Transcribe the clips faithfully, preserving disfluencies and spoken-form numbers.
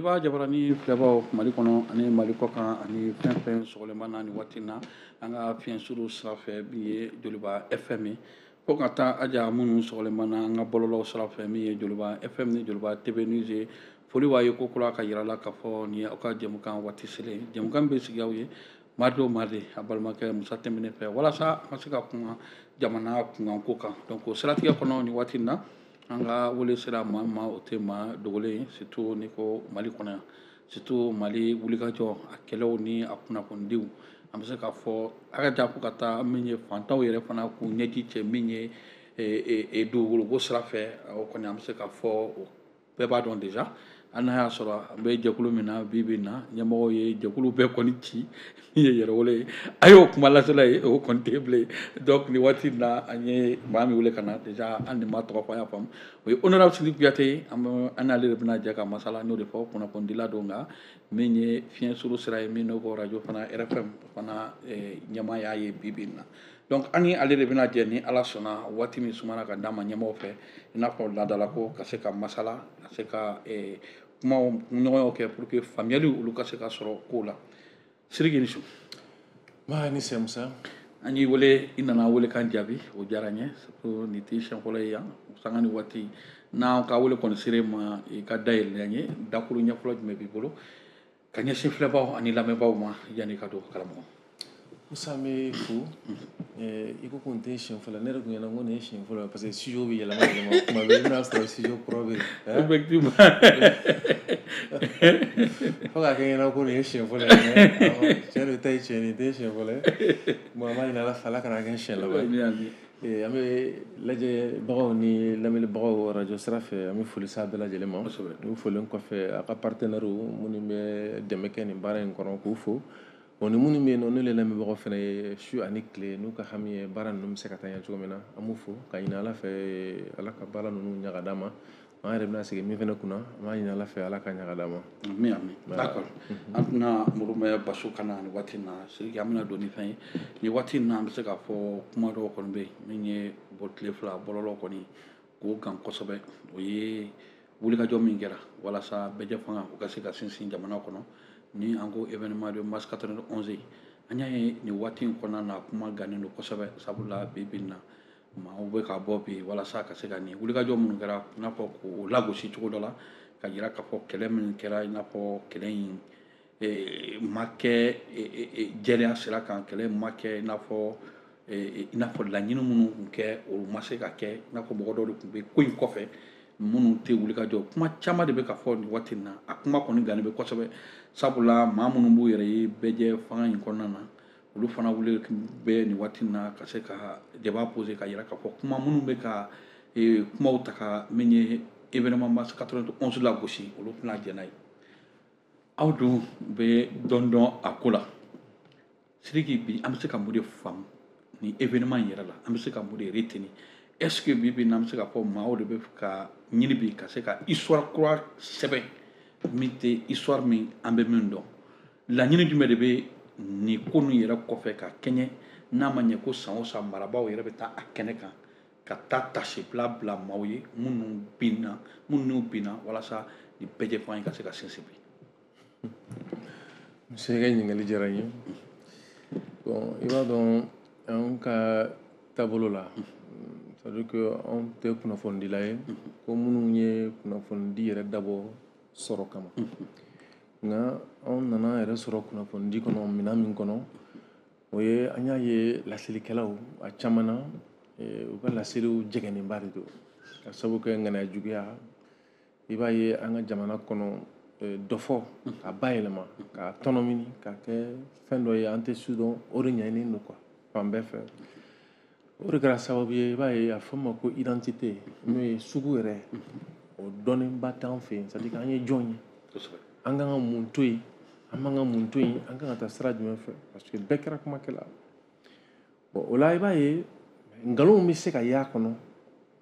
Joliba Jabarani filɛbaw Mali kɔnɔ ani Mali kɔkan ani fɛn fɛn sɔgɔlenba na nin waati in na, an ka fiɲɛ suru sira fɛ min ye Joliba F M ye, fo ka taa aja minnu sɔgɔlenba na an ka bɔlɔlɔw sira fɛ min ye Joliba F M ni Joliba T V News ye. Foli b'a ye ko kura ka yira la k'a fɔ nin ye aw ka jɛmukan waati selen. Jɛmukan bɛ sigi aw ye mardi o mardi a balimakɛ Musa Tɛnbine fɛ, walasa an ka se ka kuma jamana kunkanko kan. Donc o siratigɛ kɔnɔ nin waati in na, an ka wele sera maa ma, o tɛ maa dogolen ye, surtout n'i ko Mali kɔnɔ yan, surtout Mali wulikajɔ a kɛlɛw ni a kunnafonidiw. An bɛ se k'a fɔ a ka jan fo ka taa min ye fantanw yɛrɛ fana k'u ɲɛji cɛ min ye dugukoloko sira fɛ. O kɔni an bɛ se k'a fɔ o bɛɛ b'a dɔn déjà. Hali n'a y'a sɔrɔ an bɛ jɛkulu min na bi bi in na, ɲɛmɔgɔw ye jɛkulu bɛɛ kɔni ci min ye yɛrɛwolo ye, a y'o kuma lasela ye, o kɔni tɛ bilen. Donc nin waati in na, an ye maa min wele ka na déjà, an ni maa tɔgɔ fɔ an y'a faamu, o ye honorable Sidiki Kuyate ye. An bɛ an n'ale de bɛna jɛ ka masala, n y'o de fɔ kunnafonidila don, nka min ye fiɲɛ suru sira ye min n'o ko radio fana R F M fana ɲɛmaa y'a ye bi bi in na. Donc an ni ale de bɛna jɛ ni Ala sɔnna waati min sumana ka d'an ma ɲɛmɔgɔw fɛ, i n'a fɔ laadalako, ka se ka masala, ka se ka kumaw ɲɔgɔnyaw kɛ pour que faamuyali olu ka se ka sɔrɔ kow la. Sidiki ni su. Ma ni se Musa. An y'i wele, i nana wele kan jaabi, o diyara n ye. Surtout nin t'i siɲɛ fɔlɔ ye yan, sanga ni waati n'an ka wele kɔni sera i ma, i ka dayɛlɛ an ye. Dakuru ɲɛ fɔlɔ jumɛn b'i bolo ka ɲɛsin filɛbaw ani lamɛnbaaw ma yanni ka don karamɔgɔ? Musa, n bɛ fo. I ko ko nin tɛ siɲɛ fɔlɔ, ne yɛrɛ tun ɲɛna ko nin ye siɲɛ fɔlɔ ye parce que studio bɛ yɛlɛma yɛlɛma kuma bɛɛ, i bɛna sɔrɔ studio kura bɛ yen. Effectivement. Fo k'a kɛ n ɲɛna ko nin ye siɲɛ fɔlɔ ye, mais tiɲɛ don, ta ye tiɲɛ, nin tɛ siɲɛ fɔlɔ ye. Bon, an b'a ɲini Ala fɛ, Ala kana kɛ siɲɛ laban ye. An bɛ lajɛbagaw ni lamɛnibagaw radio sira fɛ, an bɛ foli s'a bɛɛ lajɛlen ma. N'u folilen kɔfɛ, a ka partenaires minnu bɛ dɛmɛ kɛ nin baara in kɔnɔ, k'u fo. Bon, ni minnu bɛ yen nɔ, n'olu ye lamɛnbagaw fana ye su ani tile, n'u ka hami ye baara ninnu bɛ se ka taa ɲɛ cogo min na, an b'u fo ka ɲini Ala fɛ, Ala ka baara ninnu ɲaga d'an ma. An yɛrɛ bɛna segin min fana kunna, an b'a ɲini Ala fɛ, Ala ka ɲaga d'an ma. Amin, amin. D'accord. An tɛna Murumɛ Basu kana nin waati in na. Sidiki, an bɛna don ni fɛn ye nin waati in na. An bɛ se k'a fɔ kuma dɔw kɔni bɛ yen min ye bɔ tile fila bɔlɔlɔ kɔni k'o gan kosɛbɛ. O ye wulikajɔ min kɛra walasa bɛɛjɛ fanga o ka se ka sinsin jamana kɔnɔ, ni an ko événement de mars quatre-vingt-onze. An y'a ye nin waati in kɔnɔna na, kuma gannen don kosɛbɛ, sabula bi bi in na maaw bɛ ka bɔ bi walasa ka se ka nin wulikajɔ minnu kɛra, i n'a fɔ k'o lagosi cogo dɔ la, ka jira k'a fɔ kɛlɛ min kɛra, i n'a fɔ kɛlɛ in ma kɛ jɛlenya sira kan, kɛlɛ ma kɛ i n'a fɔ i n'a fɔ laɲini minnu tun kɛ o ma se ka kɛ, i n'a fɔ mɔgɔ dɔw de tun bɛ ko in kɔfɛ minnu tɛ wulikajɔ. Kuma caman de bɛ ka fɔ nin waati in na, a kuma kɔni gannen bɛ kosɛbɛ, sabula maa minnu b'u yɛrɛ ye bɛɛjɛ fanga in kɔnɔna na, olu fana wuli bɛ nin waati in na ka se ka débat poser, ka yira k'a fɔ kuma minnu bɛ ka kumaw ta ka min ye événement mars quatre-vingt-onze lagosi, olu tɛna jɛn n'a ye. Aw dun bɛ dɔn dɔn a ko la. Sidiki, bi an bɛ se ka mun de faamu nin événement in yɛrɛ la? An bɛ se ka mun de retenir? Est-ce que bi bi in na, an bɛ se k'a fɔ maaw de bɛ ka ɲini bi ka se ka histoire kura sɛbɛn min tɛ histoire min an bɛ min dɔn? Laɲini jumɛn de bɛ nin ko ninnu yɛrɛ kɔfɛ ka kɛɲɛ n'a ma ɲɛ ko san o san marabaaw yɛrɛ bɛ taa a kɛnɛ kan ka taa tasibila bila maaw ye minnu binna minnu binna walasa nin bɛɛjɛ fanga in ka se ka sinsin bi? Musa, i ka ɲininkali diyara n ye. Bon, i b'a dɔn an ka taabolo la, c'est-à-dire que anw tɛ kunnafonidila ye ko minnu ye kunnafonidi yɛrɛ dabɔ sɔrɔ kama, nka anw nana yɛrɛ sɔrɔ kunnafonidi kɔnɔ minɛn min kɔnɔ, o ye an y'a ye laselikɛlaw a caman na, u ka laseliw jɛgɛnnenba de don ka sababu kɛ ŋaniya juguya. I b'a ye an ka jamana kɔnɔ, dɔ fɔ k'a bayɛlɛma, k'a tɔnɔmini, k'a kɛ fɛn dɔ ye an tɛ su dɔn, o de ɲɛɲini don quoi fan bɛɛ fɛ. O de kɛra sababu ye, i b'a ye a fɔ ma ko identité, n'o ye sugu yɛrɛ, o dɔnnenba t'an fɛ yen. C'est à dire k'an ye jɔn ye, an kan ka mun to yen, an man ka mun to yen, an kan ka taa sira jumɛn fɛ, parce que bɛɛ kɛra kumakɛla. Bon, o la i b'a ye nkalonw bɛ se ka y'a kɔnɔ,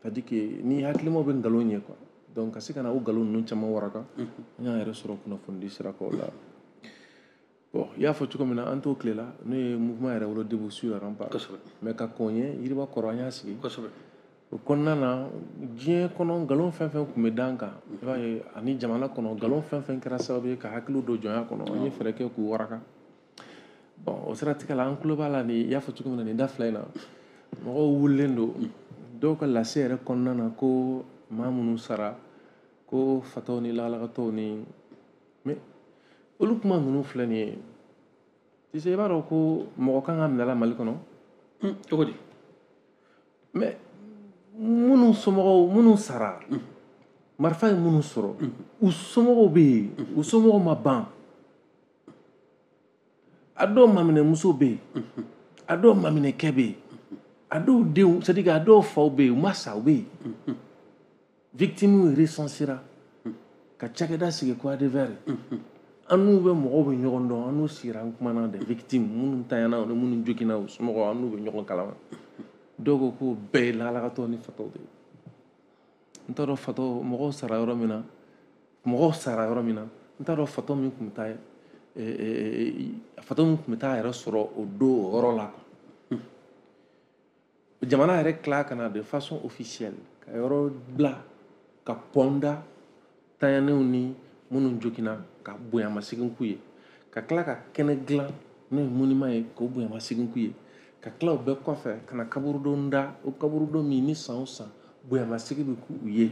c'est à dire que ni hakilimaw bɛ nkalon ye quoi. Donc ka se ka na o nkalon ninnu caman waraka, an y'an yɛrɛ sɔrɔ kunnafonidi sira kan o la. Bon, i y'a fɔ cogo min na, an t'o tile la, n'o ye mouvement yɛrɛ wolo Debout sur les remparts. Mais ka kɔn ɲɛ, yiriba kɔrɔ, an y'a sigi. O kɔnɔna na, diɲɛ kɔnɔ nkalon fɛn fɛn tun bɛ d'an kan, i b'a ye, ani jamana kɔnɔ nkalon fɛn fɛn kɛra sababu ye ka hakiliw don jɔnya kɔnɔ, an ye fɛɛrɛ kɛ k'u waraka. Bon, o siratigɛ la, an tulo b'a la, nin i y'a fɔ cogo min na, nin da fila in na, mɔgɔw wulilen don dɔw ka lase yɛrɛ kɔnɔna na ko maa minnu sara, ko fatɔw ni lakalakatɔw ni, mais olu kuma ninnu filɛ nin ye. Tu sais, i b'a dɔn ko mɔgɔ kan ka minɛ la Mali kɔnɔ. Cogo di? Mais minnu somɔgɔw, minnu sara, marifa ye minnu sɔrɔ, u somɔgɔw bɛ yen, u somɔgɔw ma ban. A dɔw maminɛmuso bɛ yen, a dɔw maminɛkɛ bɛ yen, a dɔw denw, c'est à dire que a dɔw faw bɛ yen, u ma sa, u bɛ yen. Victimes recensera ka cakɛda sigi ko A D V R. An n'u bɛ, mɔgɔw bɛ ɲɔgɔn dɔn, an n'u sigira, an kumana des victimes minnu tanyana ni minnu joginna, u somɔgɔw, an n'u bɛ ɲɔgɔn kalama. Dɔw ko k'o bɛɛ ye lakalakatɔw ni fatɔw de ye. N t'a dɔn fatɔ mɔgɔw sara yɔrɔ min na, mɔgɔw sara yɔrɔ min na, n t'a dɔn fatɔ min tun bɛ taa, fatɔ min tun bɛ taa yɛrɛ sɔrɔ o don o yɔrɔ la quoi. Jamana yɛrɛ tila ka na de façon officielle ka yɔrɔ bila ka pɔn da tanyanenw ni minnu joginna ka bonyamasegin k'u ye, ka tila ka kɛnɛ dilan n'o ye monument ye k'o bonyamasegin k'u ye, ka tila o bɛɛ kɔfɛ ka na kaburudon da, o kaburudon min ni san o san bonyamasegin bɛ k'u ye,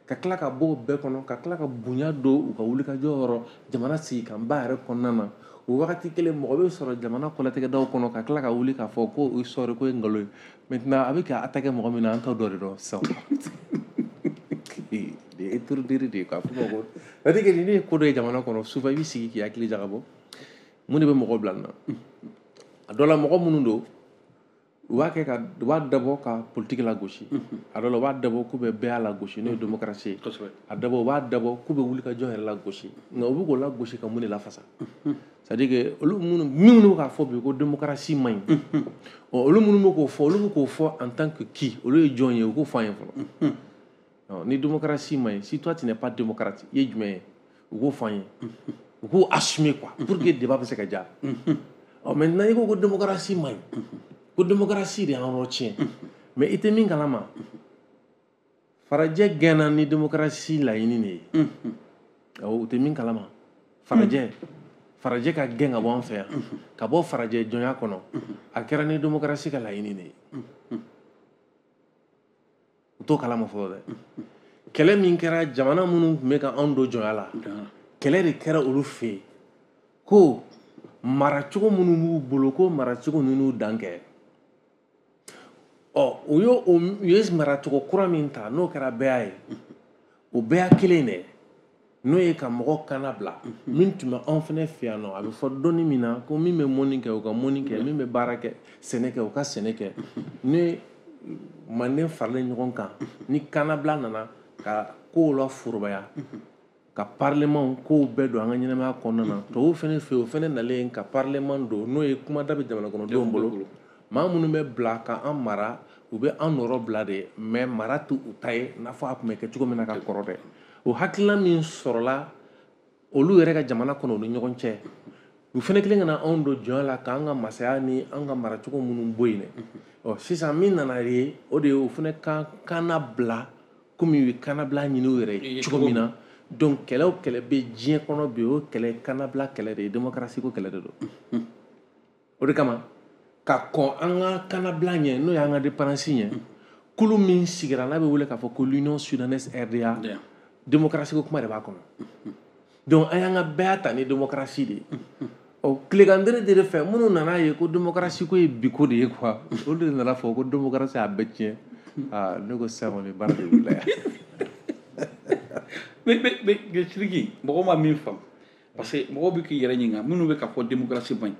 ka tila ka bɔ o bɛɛ kɔnɔ, ka tila ka bonya don u ka wulikajɔ yɔrɔ jamana sigikanba yɛrɛ kɔnɔna na. O wagati kelen, mɔgɔ bɛ sɔrɔ jamana kɔlɔtigɛdaw kɔnɔ ka tila ka wuli k'a fɔ ko o sɔrɔ ko ye nkalon ye. Maintenant, a bɛ ka attaquer mɔgɔ min na, an t'o dɔ de dɔn sisan. De étourdiri de ye quoi. F'o ma ko, c'est à dire que ni ne ye ko dɔ ye jamana kɔnɔ, souvent i bɛ sigi k'i hakili jagabɔ mun de bɛ mɔgɔ bila nin na. A dɔ la, mɔgɔ minnu don, u b'a kɛ ka, u b'a dabɔ ka politique lagosi. A dɔ la, u b'a dabɔ k'u bɛ bɛɛ lagosi, n'o ye démocratie ye. A dabɔ, u b'a dabɔ k'u bɛ wuli ka jɔn yɛrɛ lagosi, nka u bɛ k'o lagosi ka mun de lafasa? C'est à dire que olu minnu minnu bɛ k'a fɔ bi ko démocratie man ɲi, ɔ olu minnu bɛ k'o fɔ, olu bɛ k'o fɔ en tant que qui? Olu ye jɔn ye? U k'o fɔ an ye fɔlɔ. Ni démocratie man ɲi, si toi tu n'es pas démocrate, i ye jumɛn ye? U k'o fɔ an ye, u k'o assumer quoi, pour que débat bɛ se ka diya. Ɔ maintenant, i ko ko démocratie man ɲi, ko démocratie de y'an yɔrɔ tiɲɛ, mais i tɛ min kalama, farajɛ gɛnna ni démocratie laɲini de ye. Awɔ, u tɛ min kalama, farajɛ farajɛ ka gɛn ka bɔ an fɛ yan, ka bɔ farajɛ jɔnya kɔnɔ, a kɛra ni démocratie ka laɲini de ye. U t'o kalama fɔlɔ dɛ. Kɛlɛ min kɛra, jamana minnu tun bɛ ka anw don jɔnya la, kɛlɛ de kɛra olu fɛ yen ko maracogo minnu b'u bolo, ko maracogo ninnu dan kɛ. Ɔ u y'o, u ye maracogo kura min ta, n'o kɛra bɛɛ ye, o bɛɛ kelen dɛ, n'o ye ka mɔgɔ kana bila min tun bɛ anw fana fɛ yan nɔ. A bɛ fɔ dɔnni min na ko min bɛ mɔni kɛ, u ka mɔni kɛ, min bɛ baara kɛ, sɛnɛ kɛ, u ka sɛnɛ kɛ. Ni manden faralen ɲɔgɔn kan, ni kannabila nana ka kow la forobaya, ka parlement kow bɛɛ don an ka ɲɛnamaya kɔnɔna na, tubabuw fana fɛ yen, o fana nalen ka parlement don, n'o ye kumada bɛ jamana kɔnɔdenw bolo. Maa minnu bɛ bila ka an mara, u bɛ an nɔrɔ bila de, mais mara t'u ta ye n'a fɔ a tun bɛ kɛ cogo min na ka kɔrɔ dɛ. O hakilina min sɔrɔla olu yɛrɛ ka jamana kɔnɔ, u ni ɲɔgɔn cɛ, u fana kelen ka na anw don jɔnya la, k'an ka masaya ni an ka maracogo minnu bɔ yen dɛ. Ɔ sisan min nana ye, o de ye o fana ka kana bila komi u ye kannabila ɲini u yɛrɛ ye cogo min na. Donc kɛlɛ o kɛlɛ bɛ diɲɛ kɔnɔ bi, o kɛlɛ kannabila kɛlɛ de ye, démocratie ko kɛlɛ de don. O de kama, ka kɔn an ka kannabila ɲɛ, n'o y'an ka indépendance ɲɛ, kulu min sigira n'a bɛ wele k'a fɔ ko l'Union Soudanaise R D A, démocratie ko kuma de b'a kɔnɔ. Donc an y'an ka bɛɛ ta ni démocratie de ye. Ɔ tilegan de fɛ, minnu nana ye ko démocratie ko ye bi ko de ye quoi, olu de nana fɔ ko démocratie a bɛɛ tiɲɛ. Aa, ne ko sisan kɔni baara de wulila yan. Mais mais mais Sidiki, mɔgɔ ma min faamu, parce que mɔgɔw bɛ k'i yɛrɛ ɲininka minnu bɛ ka fɔ démocratie man ɲi,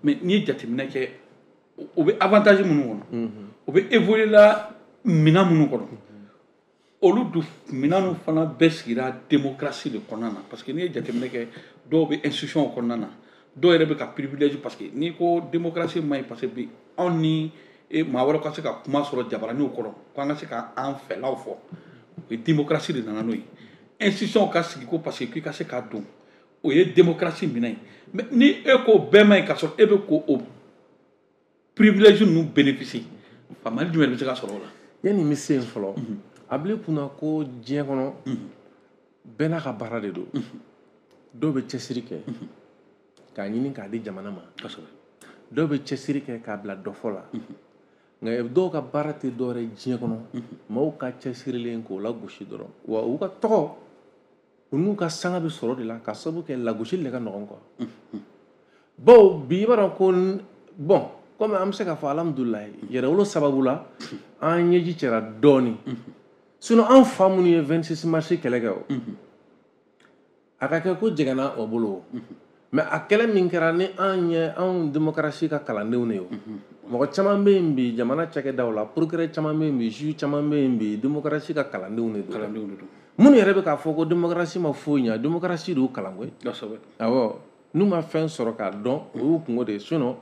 mais n'i ye jateminɛ kɛ, o bɛ avantage minnu kɔnɔ, o bɛ évoluer la minɛn minnu kɔnɔ, olu dun minɛn fana bɛɛ sigira démocratie de kɔnɔna na. Parce que n'i ye jateminɛ kɛ, dɔw bɛ institution kɔnɔna na, dɔw yɛrɛ bɛ ka privilège. Parce que n'i ko démocratie man ɲi, parce que bi anw ni maa wɛrɛ ka se ka kuma sɔrɔ jabaraninw kɔrɔ ko an ka se k'an fɛlaw fɔ, o ye démocratie de nana n'o ye. Institution ka sigi ko parce que k'i ka se k'a don, o ye démocratie minɛ ye. Mais ni e ko bɛɛ man ɲi, k'a sɔrɔ e bɛ ko o privilège ninnu bénéficier, faamuyali jumɛn de bɛ se ka sɔrɔ o la? Yanni n bɛ se yen fɔlɔ, a bila i kunna ko diɲɛ kɔnɔ bɛɛ n'a ka baara de don. Dɔw bɛ cɛsiri kɛ k'a ɲini k'a di jamana ma, dɔw bɛ cɛsiri kɛ k'a bila dɔfɔ la, nka dɔw ka baara tɛ dɔwɛrɛ ye diɲɛ kɔnɔ, maaw ka cɛsirilen k'o lagosi dɔrɔn, wa u ka tɔgɔ u n'u ka sanga bɛ sɔrɔ de la ka sababu kɛ lagosili de ka nɔgɔn quoi. Bawo bi i b'a dɔn ko bon, komi an bɛ se k'a fɔ alhamdulilayi yɛrɛwolo sababu la an ɲɛji cɛra dɔɔnin, sinon an fa minnu ye vingt-six mars kɛlɛ kɛ o, a ka kɛ ko jɛgɛnna o bolo, mais a kɛlɛ min kɛra ni an ye anw démocratie ka kalandenw de ye o. Mɔgɔ caman bɛ yen bi jamana cakɛdaw la, procureur caman bɛ yen bi, juge caman bɛ yen bi, démocratie ka kalandenw de don. Kalandenw de don. Minnu yɛrɛ bɛ k'a fɔ ko démocratie ma foyi ɲɛ, démocratie de y'u kalan koyi. Kosɛbɛ. Awɔ, n'u ma fɛn sɔrɔ k'a dɔn, o y'u kungo de ye. Sinon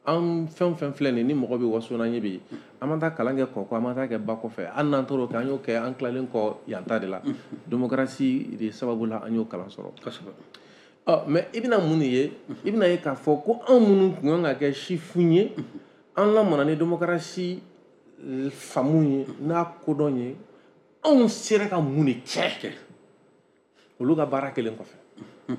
an fɛn fɛn filɛ nin ye, ni mɔgɔ bɛ waso n'an ye bi, an ma taa kalan kɛ kɔkɔ, an ma taa kɛ ba kɔfɛ, hali n'an taara o kɛ, an y'o kɛ an tilalen kɔ yan ta de la. Démocratie de sababu la an y'o kalan sɔrɔ. Kosɛbɛ. Ɔ mais i bɛna mun de ye? I bɛna ye k'a fɔ ko anw minnu tun kan ka kɛ sifin ye, an lamɔna ni démocratie faamu ye n'a kodɔn ye, anw sera ka mun de kɛ olu ka baara kelen kɔfɛ?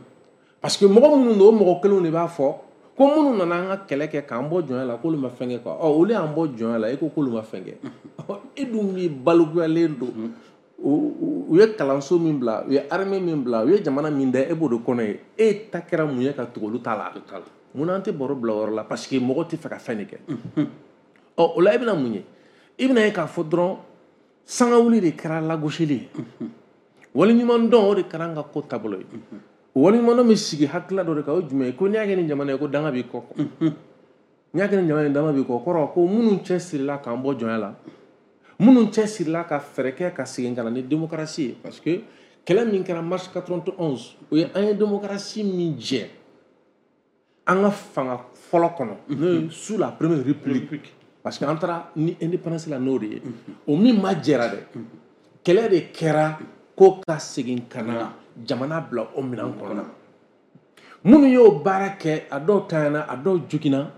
Parce que mɔgɔ minnu don, o mɔgɔ kelenw de b'a fɔ ko minnu nana an ka kɛlɛ kɛ k'an bɔ jɔnya la k'olu ma fɛn kɛ quoi. Ɔ olu y'an bɔ jɔnya la, e ko k'olu ma fɛn kɛ, e dun b'i balikuyalen don. U ye kalanso min bila, u ye armée min bila, u ye jamana min da, e b'o de kɔnɔ ye. E ta kɛra mun ye ka tugu olu ta la? Munna an tɛ baro bila o yɔrɔ la? Parce que mɔgɔ tɛ fɛ ka fɛn de kɛ. Ɔ o la i bɛna mun ye? I bɛna ye k'a fɔ dɔrɔn sangawuli de kɛra lagosili ye, waleɲuman dɔn o de kɛra an ka ko taabolo ye. O waleɲuman dɔn bɛ sigi hakilila dɔ de kan, o ye jumɛn ye? Ko n'i y'a kɛ ni jamana ye ko danga b'i kɔ, n'i y'a kɛ ni jamana ye danga b'i kɔ, kɔrɔ ko minnu cɛ sirila k'an bɔ jɔnya la, minnu cɛ sirila ka fɛɛrɛ kɛ ka segin ka na ni démocratie ye. Parce que kɛlɛ min kɛra mars quatre-vingt-onze, o ye an ye démocratie min jɛ an ka fanga fɔlɔ kɔnɔ, n'o ye sous la première république, parce que an taara ni indépendance la n'o de ye, o min ma jɛra dɛ, kɛlɛ de kɛra ko ka segin ka na jamana bila o minɛn kɔnɔ. Minnu y'o baara kɛ, a dɔw tanyana, a dɔw joginna,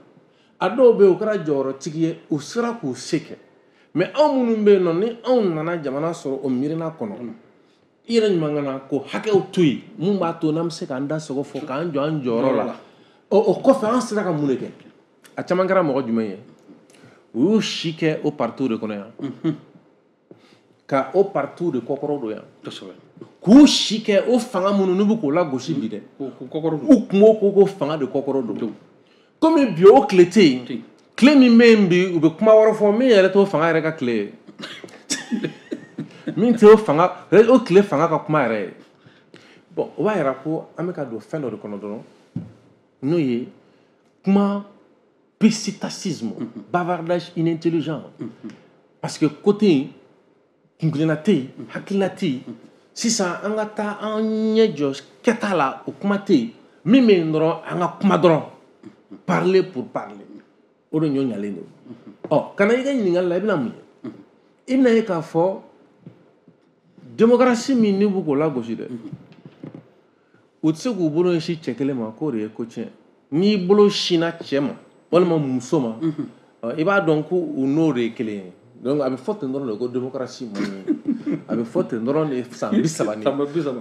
a dɔw bɛ yen u kɛra jɔyɔrɔtigi ye, u sera k'u se kɛ. Mais anw minnu bɛ yen nɔ, ni anw nana jamana sɔrɔ o miirina kɔnɔ, i yɛrɛ ɲuman ka na ko hakɛw to yen mun b'a to n'an bɛ se k'an da sogo fɔ k'an jɔ an jɔyɔrɔ la. Ɔ o kɔfɛ an sera ka mun de kɛ? A caman kɛra mɔgɔ jumɛn ye? U y'u si kɛ o parti de kɔnɔ yan, ka o parti de kɔkɔrɔ don yan, k'u si kɛ o fanga minnu n'u bɛ k'o lagosi bi dɛ, u kun ko ko fanga de kɔkɔrɔ don. Komi bi o tile tɛ yen, tile min bɛ yen bi, u bɛ kuma wɛrɛ fɔ min yɛrɛ t'o fanga yɛrɛ ka tile ye, min tɛ o fanga o tile fanga ka kuma yɛrɛ ye. Bon, o b'a yira ko an bɛ ka don fɛn dɔ de kɔnɔ dɔrɔn, n'o ye kuma psittacisme, bavardage inintelligent. Parce que côté in kunkilenna tɛ yen, hakilina tɛ yen. Sisan an ka taa an ɲɛ jɔ kɛta la, o kuma tɛ yen. Min bɛ yen dɔrɔn, an ka kuma dɔrɔn, parler pour parler, o de ɲɔ ɲalen don. Ɔ ka na i ka ɲininkali la, i bɛna mun ye? I bɛna ye k'a fɔ démocratie min n'u b'u k'o lagosi dɛ, u tɛ se k'u bolo ɲɛsin cɛ kelen ma k'o de ye ko tiɲɛ. N'i bolo sinna cɛ ma walima muso ma, i b'a dɔn ko u n'o de ye kelen ye. Donc a bɛ fɔ ten dɔrɔn de ko démocratie man ɲi, a bɛ fɔ ten dɔrɔn de san bi saba ni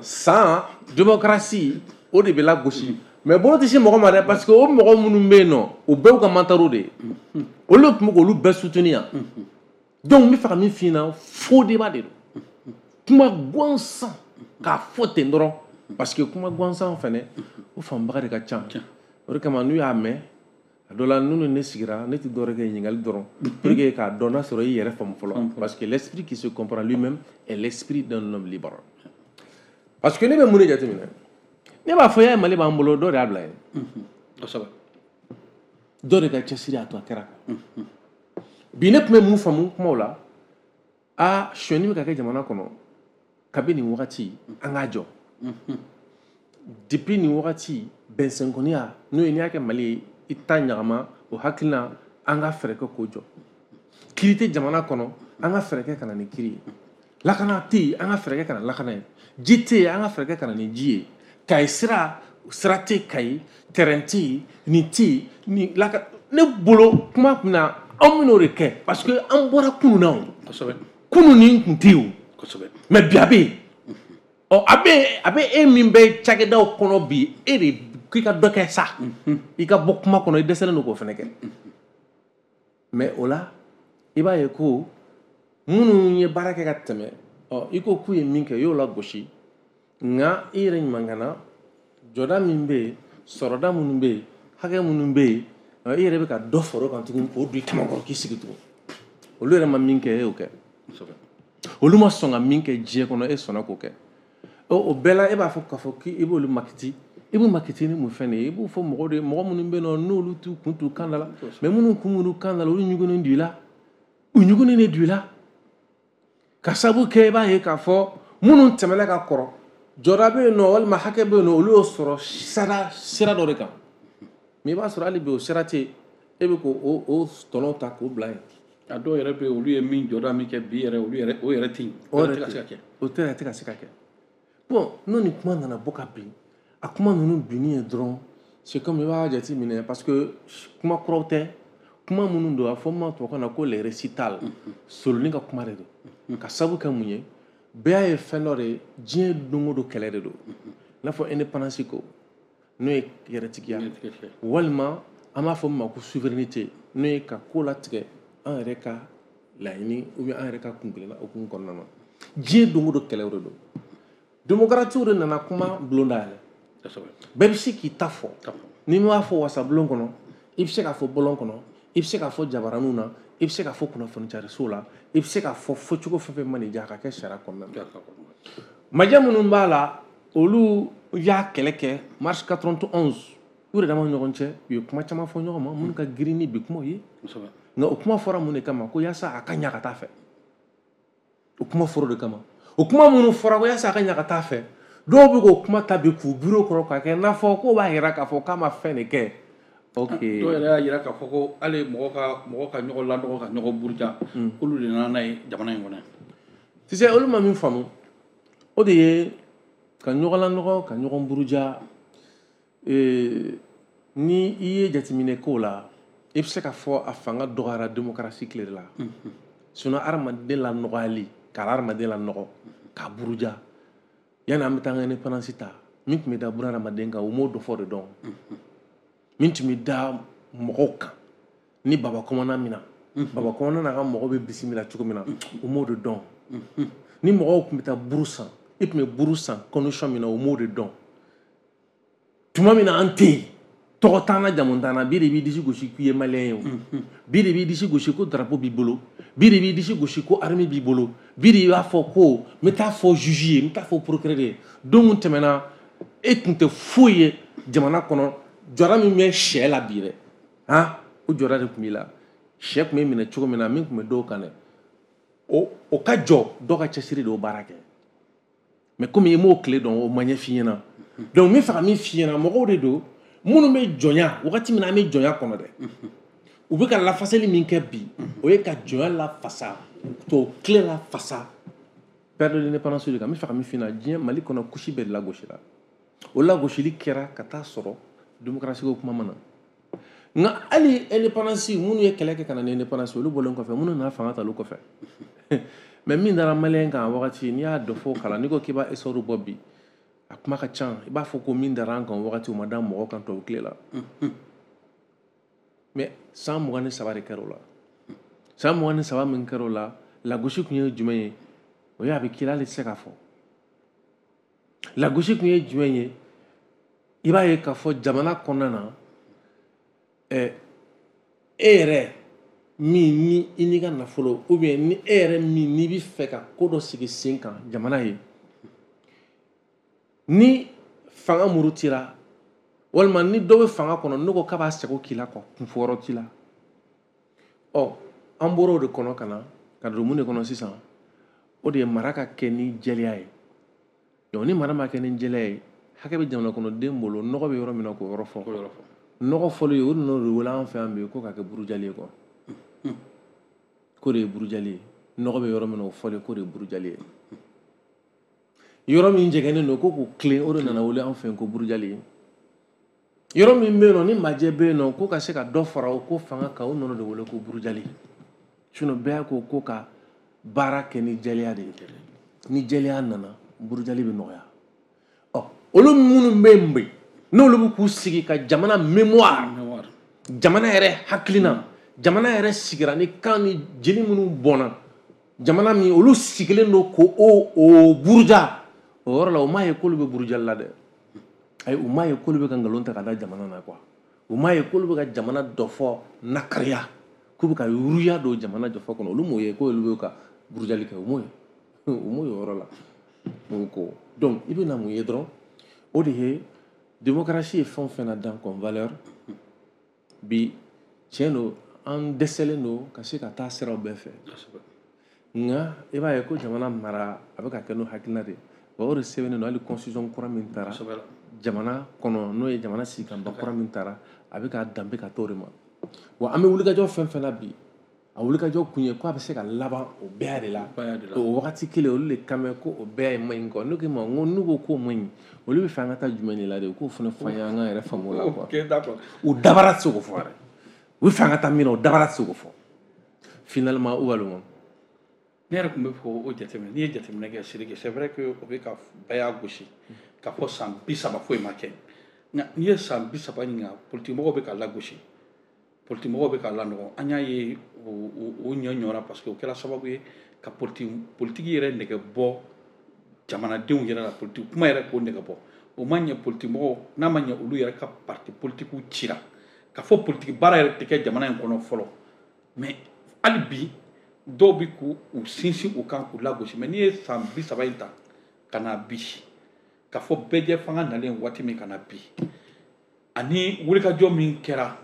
san démocratie o de bɛ lagosi. Mais bolo tɛ se mɔgɔ ma dɛ, parce que o mɔgɔ minnu bɛ yen nɔ, o bɛɛ y'u ka mantaro de ye, olu de tun bɛ k'olu bɛɛ soutenir yan. Donc n bɛ fɛ ka min f'i ɲɛna, faux débat de don, kuma gansan k'a fɔ ten dɔrɔn, parce que kuma gansan fɛnɛ o faamubaga de ka ca. O de kama n'u y'a mɛn a dɔ la, n'u ne sigira, ne tɛ dɔwɛrɛ kɛ ɲininkali dɔrɔn pour que k'a dɔn n'a sɔrɔ i yɛrɛ faamu fɔlɔ, parce que l'esprit qui se comprend lui-même est l'esprit d'un homme libre. Parce que ne bɛ mun de jateminɛ? Ne b'a fɔ y'a ye Mali b'an bolo, dɔ de y'a bila yen, dɔ de ka cɛsiri y'a to a kɛra. Bi ne tun bɛ mun faamu kumaw la? A sonyɛni bɛ ka kɛ jamana kɔnɔ kabi nin wagati, an k'a jɔ. Depuis nin wagati, bɛnsenkɔniya n'o ye n'i y'a kɛ Mali ye, i ta ɲagama o hakilina, an ka fɛɛrɛ kɛ k'o jɔ. Kiiri tɛ jamana kɔnɔ, an ka fɛɛrɛ kɛ ka na ni kiiri ye. Lakana tɛ yen, an ka fɛɛrɛ kɛ ka na lakana ye. Ji tɛ yen, an ka fɛɛrɛ kɛ ka na ni ji ye. Kayi sira, sira tɛ Kayi, terrain tɛ yen, nin tɛ yen, nin laka. Ne bolo kuma tun na Anw bɛn'o de kɛ parce que an bɔra kunun na o. Kosɛbɛ. Kunun nin tun tɛ yen o. Kosɛbɛ. Mais bi a bɛ yen. Ɔ a bɛ a bɛ e min bɛ cakɛdaw kɔnɔ bi, e de k'i ka dɔ kɛ sa. I ka bɔ kuma kɔnɔ, i dɛsɛlen don k'o fana kɛ. Mais o la, i b'a ye ko minnu ye baara kɛ ka tɛmɛ, ɔ i ko k'u ye min kɛ, i y'o lagosi. Nka i yɛrɛ ɲuman na, jɔda min bɛ yen, sɔrɔda minnu bɛ yen, hakɛ minnu bɛ yen, i yɛrɛ bɛ ka dɔ fara o kan tugun k'o don i kamankɔrɔ k'i sigi tugun. Olu yɛrɛ ma min kɛ, e y'o kɛ. Olu ma sɔn ka min kɛ diɲɛ kɔnɔ, e sɔnna k'o kɛ. O bɛɛ la, e b'a fɔ k'a fɔ k'i b'olu makiti. I b'u makiti ni mun fɛn de ye? I b'o fɔ mɔgɔw de ye, mɔgɔ minnu bɛ yen nɔ n'olu t'u kun t'u kan da la. Mais minnu kun b'u kan da la, olu ɲugunnen don i la. U ɲugunnen de don i la. Ka sababu kɛ, i b'a ye k'a fɔ minnu tɛmɛna ka kɔrɔ, jɔda bɛ yen nɔ walima hakɛ bɛ yen nɔ, olu y'o sɔrɔ sira sira dɔ de kan. Mais i b'a sɔrɔ hali bi o sira tɛ yen, e bɛ k'o o tɔnɔ ta k'o bila yen. A dɔw yɛrɛ bɛ yen, olu ye min jɔda min kɛ bi yɛrɛ, olu yɛrɛ o yɛrɛ tɛ yen. O yɛrɛ tɛ ka se ka kɛ. O tɛ tɛ ka se ka kɛ. Bon, n'o ni kuma nana bɔ ka bin, a kuma ninnu binni ye dɔrɔn, c'est comme i b'a jate minɛ parce que kuma kuraw tɛ, kuma minnu don, a fɔ ma tubabukan na ko les récitals, soloni ka kuma de don. Ka sababu kɛ mun ye? Bɛɛ y'a ye fɛn dɔ de ye, diɲɛ don o don kɛlɛ de don. I n'a fɔ indépendance ko, n'o ye yɛrɛtigiya, walima an b'a fɔ min ma ko souveraineté, n'o ye ka ko latigɛ an yɛrɛ ka laɲini ou bien an yɛrɛ ka kunkilenna hukumu kɔnɔna na. Diɲɛ don o don kɛlɛw de don. Démocratie de nana kuma bulon dayɛlɛ. Bɛɛ bɛ se k'i ta fɔ. N'i m'a fɔ wasabulon kɔnɔ, i bɛ se k'a fɔ bɔlɔn kɔnɔ, i bɛ se k'a fɔ jabaraninw na, i bɛ se k'a fɔ kunnafoni cariso la, i bɛ se k'a fɔ fɔcogo fɛn fɛn mana diya a ka kɛ sariya kɔnɔna na. Majɛ minnu b'a la, olu y'a kɛlɛ kɛ mars quatre-vingt-onze, u yɛrɛ dama ɲɔgɔn cɛ, u ye kuma caman fɔ ɲɔgɔn ma minnu ka girin ni bi kumaw ye. Nka o kuma fɔra mun de kama? Ko yaasa a ka ɲa ka taa fɛ. O kuma fɔra o de kama. O kuma minnu fɔra ko yaasa a ka ɲa ka taa fɛ, dɔw bɛ k'o kuma ta bi k'u biro kɔrɔ k'a kɛ n'a fɔ k'o b'a yira k'a fɔ k'a ma fɛn de kɛ. Ok. Dɔw yɛrɛ y'a yira k'a fɔ ko hali mɔgɔ ka mɔgɔ ka ɲɔgɔn lanɔgɔ ka ɲɔgɔn buruja, k'olu de nana n'a ye jamana in kɔnɔ. Tu sais, olu ma min faamu, o de ye ka ɲɔgɔn lanɔgɔ ka ɲɔgɔn buruja. Ni i ye jateminɛ k'o la, i bɛ se k'a fɔ a fanga dɔgɔyara démocratie tile de la. Sinon hadamaden lanɔgɔyali, ka hadamaden lanɔgɔ k'a buruja, yanni an bɛ taa an ka indépendance ta, min tun bɛ da buna hadamaden kan, u m'o dɔ fɔ de dɔn. Min tun bɛ da mɔgɔw kan ni baba kɔmana min na, baba kɔmana n'a ka mɔgɔw bɛ bisimila cogo min na, u m'o de dɔn. Ni mɔgɔw tun bɛ taa buru san, i tun bɛ buru san condition min na, u m'o de dɔn. Tuma min na an tɛ yen, tɔgɔ t'an na, jamu t'an na, bi de b'i disi gosi k'i ye malien ye o. Bi de b'i disi gosi ko drapeau b'i bolo, bi de b'i disi gosi ko armée b'i bolo, bi de b'a fɔ ko n bɛ taa fɔ juge ye, n bɛ taa fɔ procureur ye. Don min tɛmɛna, e tun tɛ foyi ye jamana kɔnɔ, jɔda min bɛ sɛ la bi dɛ, han, o jɔda de tun b'i la. Sɛ tun bɛ minɛ cogo min na, min tun bɛ dɔw kan dɛ, o o ka jɔ dɔw ka cɛsiri de y'o baara kɛ. Mais komi i m'o tile dɔn, o ma ɲɛ f'i ɲɛna. Donc n bɛ fɛ ka min f'i ɲɛna, mɔgɔw de don minnu bɛ jɔnya wagati min na, an bɛ jɔnya kɔnɔ dɛ, u bɛ ka lafasali min kɛ bi, o ye ka jɔnya lafasa, tubabu tile lafasa, perte de l'indépendance de kan. N bɛ fɛ ka min f'i ɲɛna, diɲɛ Mali kɔnɔ kusi bɛɛ de lagosira. O lagosili kɛra ka taa sɔrɔ démocratie ko kuma ma na. Nka hali indépendance, minnu ye kɛlɛ kɛ ka na ni indépendance, olu bɔlen kɔfɛ, minnu nana fanga ta olu kɔfɛ. Mais min dara malien kan wagati, n'i y'a dɔ fɔ kalan, n'i ko k'i b'a essor bɔ bi, a kuma ka ca. I b'a fɔ ko min dara an kan wagati, o ma da mɔgɔ kan tubabu tile la. Mais san mugan ni saba de kɛra o la. San mugan ni saba min kɛra o la, lagosi tun ye jumɛn ye? O ye a bɛ k'i la, hali tɛ se k'a fɔ. Lagosi tun ye jumɛn ye? I b'a ye k'a fɔ jamana kɔnɔna na, ɛ e yɛrɛ min ni i n'i ka nafolo, ou bien ni e yɛrɛ min n'i bɛ fɛ ka ko dɔ sigi sen kan jamana ye, ni fanga murutira walima ni dɔ bɛ fanga kɔnɔ, n'o ko k'a b'a sago k'i la, quoi, kunfɔyɔrɔ t'i la. Ɔ an bɔra o de kɔnɔ ka na ka don mun de kɔnɔ sisan? O de ye mara ka kɛ ni jɛlenya ye. Donc ni mara ma kɛ ni jɛlenya ye, hakɛ bɛ jamana kɔnɔden bolo, nɔgɔ bɛ yɔrɔ min na k'o yɔrɔ fɔ. Nɔgɔ fɔli ye, o nɔ de wele an fɛ yan bi ko k'a kɛ burujali ye, quoi. K'o de ye burujali ye. Nɔgɔ bɛ yɔrɔ min na, o fɔli k'o de ye burujali ye. Yɔrɔ min jɛgɛnnen don ko k'o tilen, o de nana wele an fɛ yen ko burujali ye. Yɔrɔ min bɛ yen nɔ ni majɛ bɛ yen nɔ ko ka se ka dɔ fara o ko fanga kan, o nɔnɔ de wele ko burujali. Sinon bɛɛ ko ko ka baara kɛ ni jɛlenya de ye. Ni jɛlenya nana, burujali bɛ nɔgɔya. Ɔ olu minnu bɛ yen bi, n'olu bɛ k'u sigi ka jamana mémoire, jamana yɛrɛ hakilina, jamana yɛrɛ sigira ni kan ni jeli minnu bɔnna, jamana min olu sigilen don ko o o buruja, o yɔrɔ la o m'a ye k'olu bɛ burujali la dɛ. Ayi, u m'a ye k'olu bɛ ka nkalon ta ka da jamana na quoi. U m'a ye k'olu bɛ ka jamana dɔ fɔ nakariya, k'u bɛ ka yuruya don jamana jɔfɔ kɔnɔ. Olu m'o ye k'olu bɛ ka burujali kɛ, u m'o ye, u m'o ye o yɔrɔ la. Donc donc i bɛ na mun ye dɔrɔn, o de ye démocratie ye fɛn o fɛn na dan comme valeur bi, tiɲɛ don, an dɛsɛlen don ka se ka taa siraw bɛɛ fɛ. Nka i b'a ye ko jamana mara a bɛ ka kɛ n'o hakilina de ye. Wa o de sɛbɛnnen don hali constitution kura min taara jamana kɔnɔ, n'o ye jamana sigikanba kura min taara, a bɛ ka danbe ka t'o de ma. Wa an bɛ wulikajɔ fɛn fɛn na bi, a wulikajɔ kun ye ko a bɛ se ka laban o bɛɛ de la. O wagati kelen olu de kan bɛ ko o bɛɛ ye man ɲi quoi. Ne ko i ma n ko n'u ko k'o man ɲi, olu bɛ fɛ an ka taa jumɛn de la de, u k'o fana fɔ an ye an k'an yɛrɛ faamu o la quoi. U dabara tɛ se k'o fɔ yɛrɛ. U bɛ fɛ an ka taa min na, o dabara tɛ se k'o fɔ. Finalement, où va le monde? Ne yɛrɛ tun bɛ fɔ o jateminɛ, n'i ye jateminɛ kɛ Sidiki, c'est vrai que o bɛ ka bɛɛ y'a gosi k'a fɔ san bi saba foyi ma kɛ. Nka n'i ye san bi saba ɲininka, politique mɔgɔw bɛ ka lagosi, politique mɔgɔw bɛ ka lanɔgɔ. An y'a ye o ɲɔ ɲɔra parce que o kɛra sababu ye ka politique politique yɛrɛ nɛgɛ bɔ jamanadenw yɛrɛ la, politique kuma yɛrɛ k'o nɛgɛ bɔ. O ma ɲɛ politique mɔgɔw, n'a ma ɲɛ olu yɛrɛ ka parti politique cira k'a fɔ politique baara yɛrɛ tɛ kɛ jamana in kɔnɔ fɔlɔ. Mais hali bi dɔw bɛ k'u sinsin u kan k'u lagosi. Mais n'i ye san bi saba in ta ka na bi, k'a fɔ bɛɛjɛ fanga nalen waati min ka na bi, ani wulikajɔ min kɛra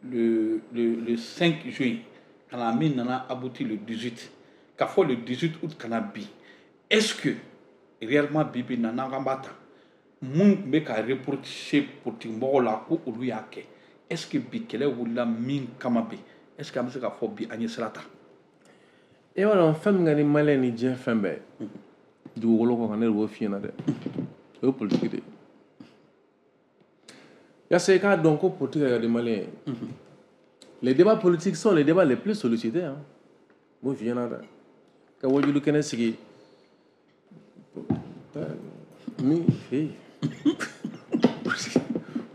le le le cinq juin ka na min nana abouti le dix-huit, k'a fɔ le dix-huit août ka na bi, est-ce que réellement bi bi na n'an k'an b'a ta mun tun bɛ ka reprocher politique mɔgɔw la ko olu y'a kɛ, est-ce que bi kɛlɛ wulila min kama bi, est-ce que an bɛ se k'a fɔ bi an ye sira ta? I b'a dɔn fɛn min ka di maliyɛn ni diɲɛ fɛn bɛɛ dugukolo kɔ kan, ne de b'o f'i ɲɛna dɛ, o ye politique de ye. Yasa i k'a dɔn ko politique ka di maliyɛn ye, les débats politiques sont les débats les plus sollicités, hein. N b'o f'i ɲɛna dɛ. Ka wajulu kɛnɛ sigi min hey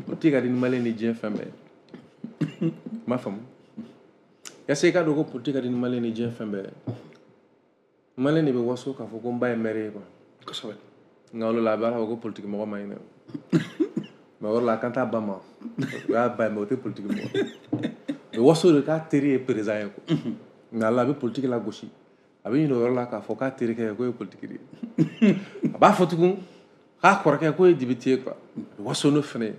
politique ka di ni maliyɛn ni diɲɛ fɛn bɛɛ ye. N m'a faamu. Yasa i k'a dɔn ko politique ka di ni maliyɛn ni diɲɛ fɛn bɛɛ ye, maliyɛn de bɛ waso k'a fɔ ko n ba ye maire ye quoi. Kosɛbɛ. Nka o de la a b'a fɔ ko politique mɔgɔ man ɲi dɛ. Mais o yɔrɔ la a kan t'a ba ma, o y'a ba ye, mais o tɛ politique mɔgɔ. O bɛ waso de k'a teri ye président ye quoi. Nka ala a bɛ politique lagosi, a bɛ ɲinɛ o yɔrɔ la k'a fɔ k'a terikɛ k'o ye politique de ye. A b'a fɔ tugun k'a kɔrɔkɛ k'o ye député ye quoi. A bɛ waso n'o fana ye.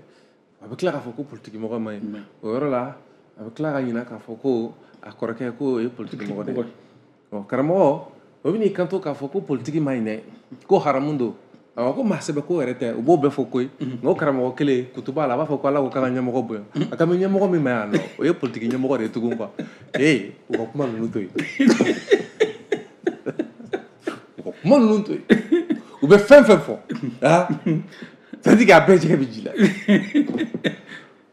A bɛ tila k'a fɔ ko politique mɔgɔ man ɲi. O yɔrɔ la a bɛ tila ka ɲinɛ k'a fɔ ko a kɔrɔkɛ k'o ye politique mɔgɔ de ye. Ɔ karamɔgɔ o bɛ n'i kanto k'a fɔ ko politique man ɲi dɛ, ko haramu don. Awɔ, ko maa sɛbɛ ko yɛrɛ tɛ, u b'o bɛɛ fɔ koyi. Nka o karamɔgɔ kelen kutuba la a b'a fɔ ko Ala ko k'an ka ɲɛmɔgɔ bonya. A ka bɛ ɲɛmɔgɔ min ma yan nɔ, o ye politique ɲɛmɔgɔ de ye tugun quoi. Ee u ka kuma ninnu to yen. U ka kuma ninnu to yen. U bɛ fɛn fɛn fɔ, ah, c'est à dire que a bɛɛ jɛgɛ bɛ ji la.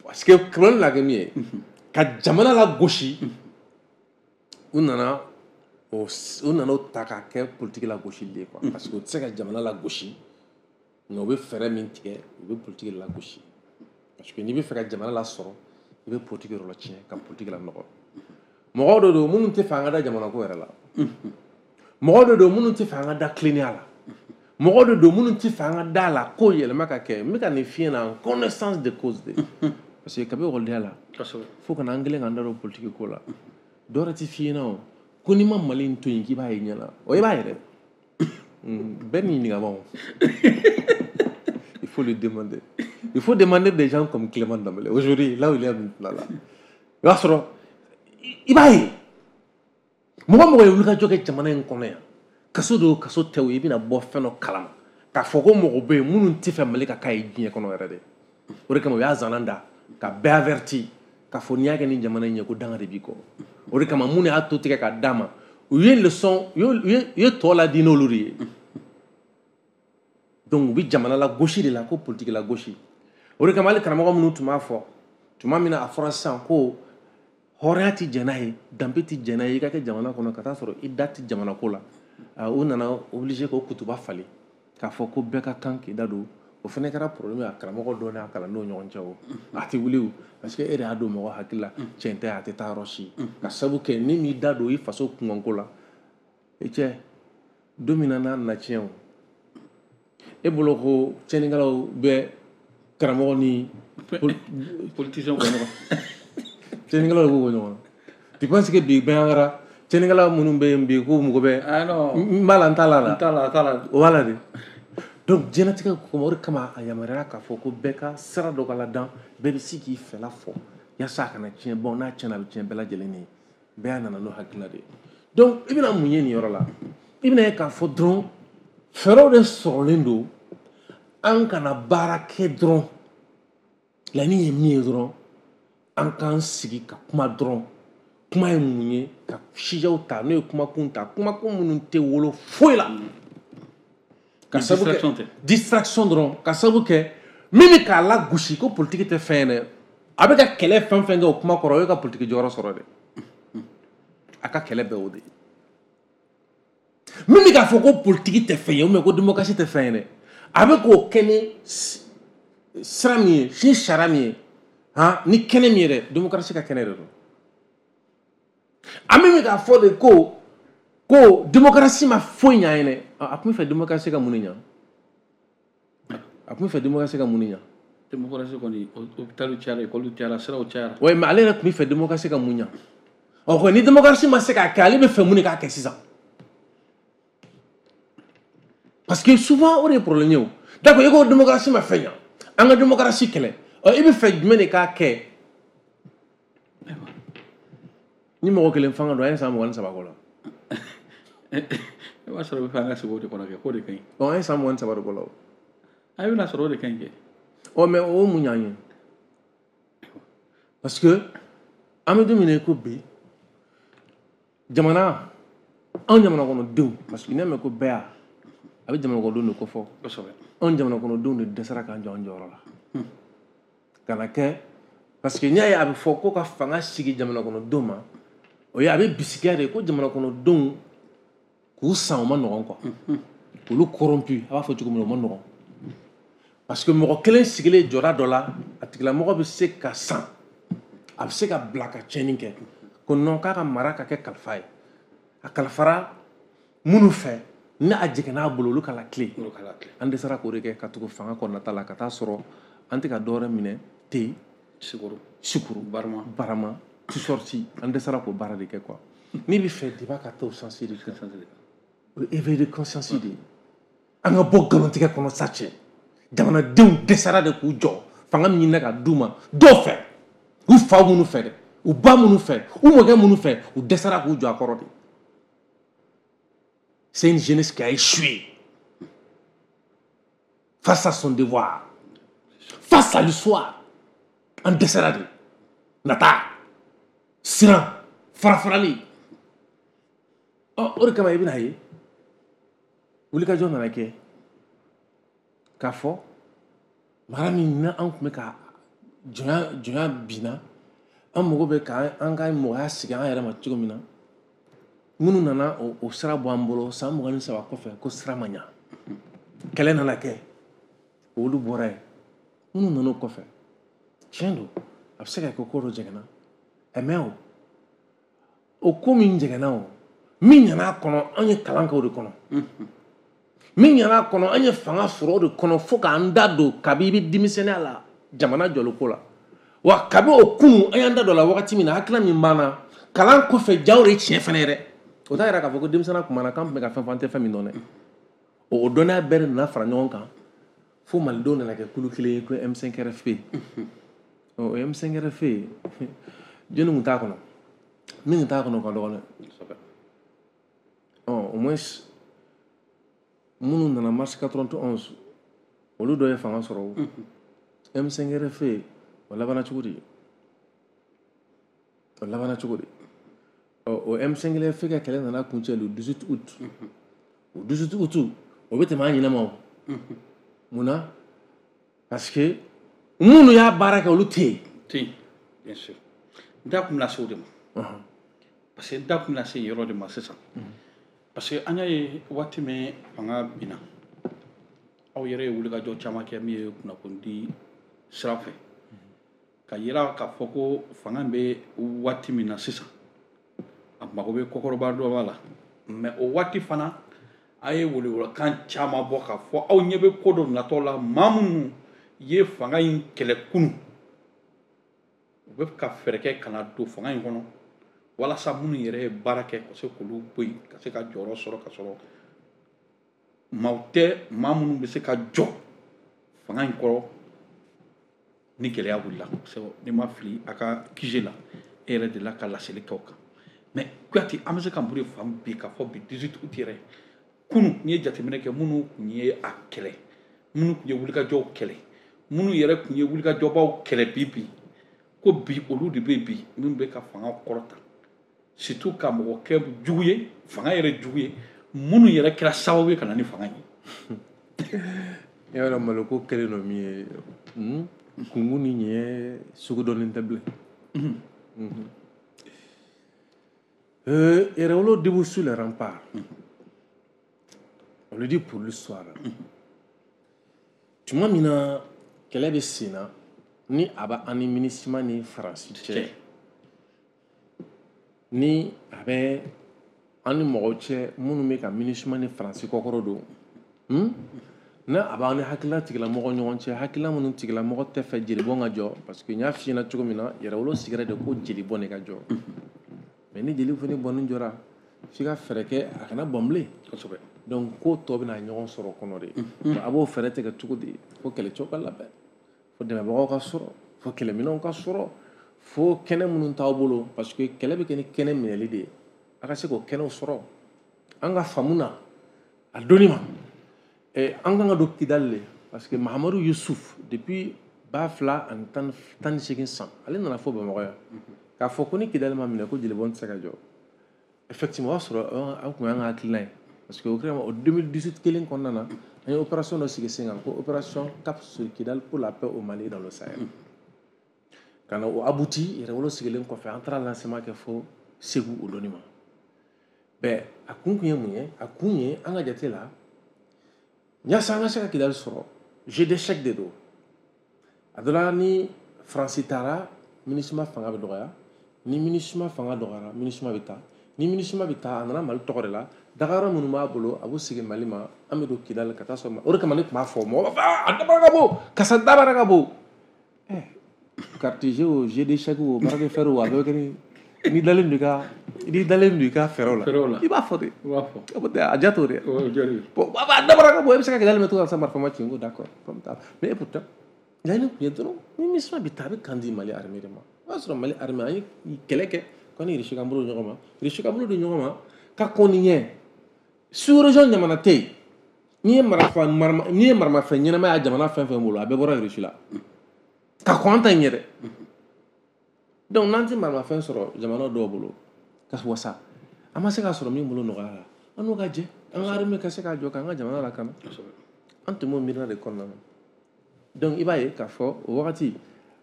Parce que problème la kɛ min ye, ka jamana lagosi, u nana o u nana o ta k'a kɛ politique lagosili ye quoi. Parce que u tɛ se ka jamana lagosi, nka u bɛ fɛɛrɛ min tigɛ, u bɛ politique lagosi. Parce que n'i bɛ fɛ ka jamana lasɔrɔ, i bɛ politique yɔrɔ tiɲɛ ka politique lanɔgɔ. Mɔgɔw de don minnu tɛ fɛ an ka da jamana ko yɛrɛ la. Mɔgɔw de don minnu tɛ fɛ an ka da tilennenya la. Mɔgɔw de don minnu tɛ fɛ an ka da la ko yɛlɛma ka kɛ. N bɛ ka nin f'i ɲɛna en connaissance de cause de. Parce que kabi ekɔlidenya la, fo ka na an kɛlen k'an da don politique ko la, dɔ wɛrɛ tɛ f'i ɲɛna o ko n'i ma Mali in to yen k'i b'a ye ɲɛ na, o i b'a ye dɛ. Bɛɛ n'i ɲininka ma o. Il faut le demander. Il faut demander des gens comme Clément Dembélé. Aujourd'hui, là où il est maintenant là. I b'a sɔrɔ i b'a ye mɔgɔ mɔgɔ ye wulikajɔ kɛ jamana in kɔnɔ yan, kaso don kaso tɛ o, i bɛna bɔ fɛn dɔ kalama k'a fɔ ko mɔgɔ bɛ yen minnu tɛ fɛ Mali ka k'a ye diɲɛ kɔnɔ yɛrɛ de. O de kama u y'a zana da ka bɛɛ averti k'a fɔ n'i y'a kɛ ni jamana in ye ko danga de b'i kɔ. O de kama minnu y'a to tigɛ k'a d'a ma, u ye leçon, u ye u ye tɔ ladi n'olu de ye. Donc u bɛ jamana lagosi de la ko politique lagosi. O de kama hali karamɔgɔ minnu tun b'a fɔ tuma min na a fɔra sisan ko hɔrɔnya tɛ jɛn n'a ye, danbe tɛ jɛn n'a ye, i ka kɛ jamana kɔnɔ ka taa sɔrɔ i da tɛ jamana ko la, u nana obligé k'o kutuba falen k'a fɔ ko bɛɛ ka kan k'i da don. O fana kɛra problème ye a karamɔgɔ dɔw n'a kalandenw ɲɔgɔn cɛ. O a tɛ wuli o, parce que e de y'a don mɔgɔ hakili la tiɲɛ tɛ, a tɛ taa yɔrɔ si. Ka sabu kɛ ni m'i da don i faso kunkanko la, i cɛ don min na n'a nana tiɲɛ o, e bolo ko tiɲɛnikɛlaw bɛ karamɔgɔ ni politicien bɔ ɲɔgɔn, tiɲɛnikɛlaw de b'u bɔ ɲɔgɔn na. Tu penses que bi bɛn kɛra tiɲɛnikɛla minnu bɛ yen bi k'u mago bɛ n b'a la n t'a la n t'a la n t'a la o b'a la de. Donc diɲɛlatigɛ kɔnɔ o de kama a yamaruyara k'a fɔ ko bɛɛ ka sira dɔ ka ladan, bɛɛ bɛ se k'i fɛla fɔ yaasa a kana tiɲɛ. Bon, n'a tiɲɛna a bɛ tiɲɛ bɛɛ lajɛlen ye, bɛɛ y'a nana n'o hakilina de ye. Donc i bɛna mun ye nin yɔrɔ la? I bɛna ye k'a fɔ dɔrɔn fɛɛrɛw de sɔrɔlen don an kana baara kɛ dɔrɔn. Laɲini ye min ye dɔrɔn, an k'an sigi ka kuma dɔrɔn. Kuma ye mun ye? Ka sijɛw ta, n'o ye kumakun ta, kumakun minnu tɛ wolo foyi la. Ka sabu kɛ distraction dɔrɔn, ka sabu kɛ min bɛ k'a lagosi ko politique tɛ fɛn ye dɛ, a bɛ ka kɛlɛ fɛn fɛn kɛ o kuma kɔrɔ, o ye ka politique jɔyɔrɔ sɔrɔ dɛ, a ka kɛlɛ bɛɛ o de ye. Min bɛ k'a fɔ ko politique tɛ fɛn ye ou bien ko démocratie tɛ fɛn ye dɛ, a bɛ k'o kɛ ni sira min ye, ni sariya min ye, han, ni kɛnɛ min ye dɛ, démocratie ka kɛnɛ de don. An bɛ k'a fɔ de ko ko démocratie ma foyi ɲa ye dɛ, a tun bɛ fɛ démocratie ka mun de ɲa? A tun bɛ fɛ démocratie ka mun de ɲa? Démocratie kɔni, hôpital cayara, école cayara, siraw cayara. Oui, mais ale yɛrɛ tun bɛ fɛ démocratie ka mun ɲa? Ɔ ko ni démocratie ma se k'a kɛ, ale bɛ fɛ mun de k'a kɛ sisan? Parce que souvent o de ye problème ye o. D'accord, i ko démocratie ma fɛn ɲa, an ka démocratie kɛlɛ, ɔ i bɛ fɛ jumɛn de k'a kɛ? Ni mɔgɔ kelen fanga don, an ye san mugan ni saba k'o la. I b'a sɔrɔ i bɛ fɛ an ka sigi o de kɔnɔ kɛ, k'o de ka ɲi. Ɔ an ye san mugan ni saba de k'o la o. A bɛna sɔrɔ o de ka ɲi kɛ. Ɔ mais o mun y'an ye? Parce que an bɛ don min na i ko bi, jamana, anw jamana kɔnɔdenw, parce que n'i y'a mɛn ko bɛɛ y'a, a bɛ jamana kɔnɔdenw de kofɔ. Kosɛbɛ. Anw jamana kɔnɔdenw de dɛsɛra k'an jɔ an jɔyɔrɔ la. Ka na kɛ, parce que n'i y'a ye a bɛ fɔ ko ka fanga sigi jamana kɔnɔdenw ma, o ye a bɛ bisigiya de ko jamana kɔnɔdenw k'u san o ma nɔgɔn quoi. Olu corrompu, a b'a fɔ cogo min na o ma nɔgɔn. Parce que mɔgɔ kelen sigilen jɔda dɔ la, a tigilamɔgɔ bɛ se ka san, a bɛ se ka bila ka tiɲɛni kɛ. Ko non, k'a ka mara ka kɛ kalifa ye. A kalifara minnu fɛ, ni a jiginna a bolo, olu ka la tile. An dɛsɛra k'o de kɛ ka tugu fanga kɔnɔnata la, ka taa sɔrɔ an tɛ ka dɔ wɛrɛ minɛ te, sukaro, sukaro, barama, barama, tu sorti, an dɛsɛra k'o baara de kɛ quoi. N'i bɛ fɛ débat ka taa o sens de kan, o ye éveil de conscience de ye. An ka bɔ nkalontigɛ kɔnɔ sa cɛ. Jamanadenw dɛsɛra de k'u jɔ fanga min ɲinina ka d'u ma dɔw fɛ, u fa minnu fɛ dɛ, u ba minnu fɛ, u mɔkɛ minnu fɛ, u dɛsɛra k'u jɔ a kɔrɔ de. C'est une jeunesse qui a échoué face à son devoir, face à l'histoire. An dɛsɛra de. Nata, siran, farafarali. Ɔ o de kama i bɛna ye wulikajɔ nana kɛ k'a fɔ mara min na an tun bɛ ka jɔnya jɔnya binna, an mago bɛ k'an ka mɔgɔya sigi an yɛrɛ ma cogo min na. Minnu nana o, o sira bɔ an bolo san mugan ni saba kɔfɛ ko sira ma ɲa, kɛlɛ nana kɛ, olu bɔra yen. Minnu nana o kɔfɛ, tiɲɛ don, a bɛ se ka kɛ ko dɔ jɛngɛnna, ɛ mais o o ko min jɛngɛnna, o min ɲana a kɔnɔ, an ye kalan kɛ o de kɔnɔ. Min ɲana a kɔnɔ, an ye fanga sɔrɔ o de kɔnɔ fo k'an da don kabi i bɛ denmisɛnninya la jamana jɔliko la. Wa kabi o kunun an y'an da don a la wagati min na, hakilina min b'an na kalan kɔfɛ, jaw de ye tiɲɛ fɛnɛ ye dɛ. O t'a yira k'a fɔ ko denmisɛnninya tun b'an na k'an tun bɛ ka fɛn fɔ an tɛ fɛn min dɔn dɛ. O dɔnniya bɛɛ de nana fara ɲɔgɔn kan fo malidenw nana kɛ kulu kelen ye ko M cinq R F P. O M cinq R F P, jɔnni tun t'a kɔnɔ? Min tun t'a kɔnɔ o ka dɔgɔ dɛ. Ɔ au moins minnu nana mars quatre-vingt-onze, olu dɔ ye fanga sɔrɔ o. M cinq R F P o labanna cogo di? O labanna cogo di? Ɔ o M cinq R F P ka kɛlɛ nana kuncɛ le dix-huit août. O dix-huit août, o bɛ tɛmɛ an ɲinɛ ma o. Munna? Parce que Minnu y'a baara kɛ olu tɛ yen. Tɛ yen, bien sûr. N da kun bɛna se o de ma. Parce que n da kun bɛna se yen yɔrɔ de ma sisan. Parce que an y'a ye waati min fanga binna, aw yɛrɛ ye wulikajɔ caman kɛ min ye kunnafonidi sira fɛ. Ka yira k'a fɔ ko fanga bɛ waati min na sisan, a mago bɛ kɔkɔrɔba dɔ b'a la. Mais o waati fana, a ye welewelekan caman bɔ k'a fɔ aw ɲɛ bɛ ko dɔ natɔ la, maa minnu ye fanga in kɛlɛ kunun, u bɛ ka fɛɛrɛ kɛ ka na don fanga in kɔnɔ walasa minnu yɛrɛ ye baara kɛ ka se k'olu bɔ yen, ka se ka jɔyɔrɔ sɔrɔ, ka sɔrɔ maaw tɛ maa minnu bɛ se ka jɔ fanga in kɔrɔ ni gɛlɛya wulila. Parce que n'i ma fili a ka Q G la, e yɛrɛ delila ka laseli kɛ o kan. Mais Kuyate, an bɛ se ka mun de faamu bi k'a fɔ bi dix-huit août yɛrɛ kunun, n'i ye jateminɛ kɛ minnu tun ye a kɛlɛ, minnu tun ye wulikajɔw kɛlɛ, minnu yɛrɛ tun ye wulikajɔbaw kɛlɛ bi bi, ko bi olu de bɛ bi minnu bɛ ka fanga kɔrɔta, surtout ka mɔgɔ kɛ jugu ye, fanga yɛrɛ jugu ye, minnu yɛrɛ kɛra sababu ye ka na ni fanga ye. I b'a dɔn maloko kɛlen don min ye, kungun ni ɲɛ sugu dɔnnen tɛ bilen. Yɛrɛwolo debout sur les remparts. On le dit pour l'histoire. Tuma min na kɛlɛ bɛ sen na ni a bɛ an ni MINUSMA ni Faransi cɛ, ni a bɛ an ni mɔgɔw cɛ minnu bɛ ka MINUSMA ni Faransi kɔkɔrɔ don, n'a a b'an ni hakilila tigilamɔgɔ ɲɔgɔn cɛ, hakilila minnu tigilamɔgɔ tɛ fɛ jelibɔn ka jɔ, parce que n y'a f'i ɲɛna cogo min na, yɛrɛwolo sigira de ko jelibɔn de ka jɔ. Mais ni jeli fana bɔnni jɔra, f'i ka fɛɛrɛ kɛ a kana bɔn bilen. Kosɛbɛ. Donc ko tɔ bɛna ɲɔgɔn sɔrɔ kɔnɔ de. A b'o fɛɛrɛ tigɛ cogo di? Fo kɛlɛcɛw ka labɛn, fo dɛmɛbagaw ka sɔrɔ, fo kɛlɛminɛnw ka sɔrɔ, fo kɛnɛ minnu t'aw bolo, parce que kɛlɛ bɛ kɛ ni kɛnɛ minɛli de ye. A ka se k'o kɛnɛw sɔrɔ. An ka faamu na a donni ma, an kan ka don Kidali de, parce que Mahamadu Yusuf depuis ba fila ani tan ni seegin san, ale nana fɔ Bamakɔ yan k'a fɔ ko ni Kidali ma minɛ ko jelibɔn tɛ se ka jɔ. Effectivement, o y'a sɔrɔ an kun y'an ka hakilina ye, parce que o kɛra o deux mille dix-huit kelen kɔnɔna na, an ye opération dɔ sigi sen kan ko opération Cap sur Kidal pour la paix au Mali dans le Sahel. Ka na o abouti yɛrɛwolo sigilen kɔfɛ, an taara lancement kɛ fo Segu o donni ma. Bɛn a kun kun ye mun ye? A kun ye an ka jate la, yaasa an ka se ka Kidali sɔrɔ, jeu d'échec de don. A dɔ la ni Faransi taara, MINUSMA fanga bɛ dɔgɔya. Ni MINUSMA fanga dɔgɔyara, MINUSMA bɛ taa. Ni MINUSMA bɛ taa, a nana Mali tɔgɔ de la. Dagayɔrɔ minnu b'a bolo, a b'u sigi Mali ma, an bɛ don Kidali ka taa sɔrɔ. O de kama ne tun b'a fɔ mɔgɔ b'a fɔ a dabara ka bon, karisa dabara ka bon. Ɛ carte o, jeu d'échec o, bras de fer o, a bɛɛ bɛ kɛ ni n'i dalen don i ka n'i dalen don i ka fɛɛrɛw la, i b'a fɔ de. I b'a fɔ. A ja t'o de. Bon, a dabara ka bon, e bɛ se ka Kidali minɛ cogo min na sisan marifa ma ci, n ko d'accord, problème t'a la. Mais pourtant laɲini tun ye dɔrɔn ni MINUSMA bɛ taa, a bɛ kan di Mali armée de ma. O y'a sɔrɔ Mali armée an ye kɛlɛ kɛ ko ni Russie ka bolo di ɲɔgɔn ma, Russie ka bolo di ɲɔgɔn ma ka kɔn ni ɲɛ. Sous-région jamana tɛ yen n'i ye marifa n'i ye maramafɛn ɲɛnama y'a jamana fɛn fɛn bolo, a bɛɛ bɔra Russie la ka kɔn an ta in ɲɛ dɛ. Donc n'an tɛ maramafɛn sɔrɔ jamana dɔw bolo ka wasa, an ma se k'a sɔrɔ min bolo nɔgɔya la, an n'o ka jɛ, an ka armée ka se k'a jɔ k'an ka jamana lakana. An tun b'o miirina de kɔnɔna na. Donc i b'a ye k'a fɔ o wagati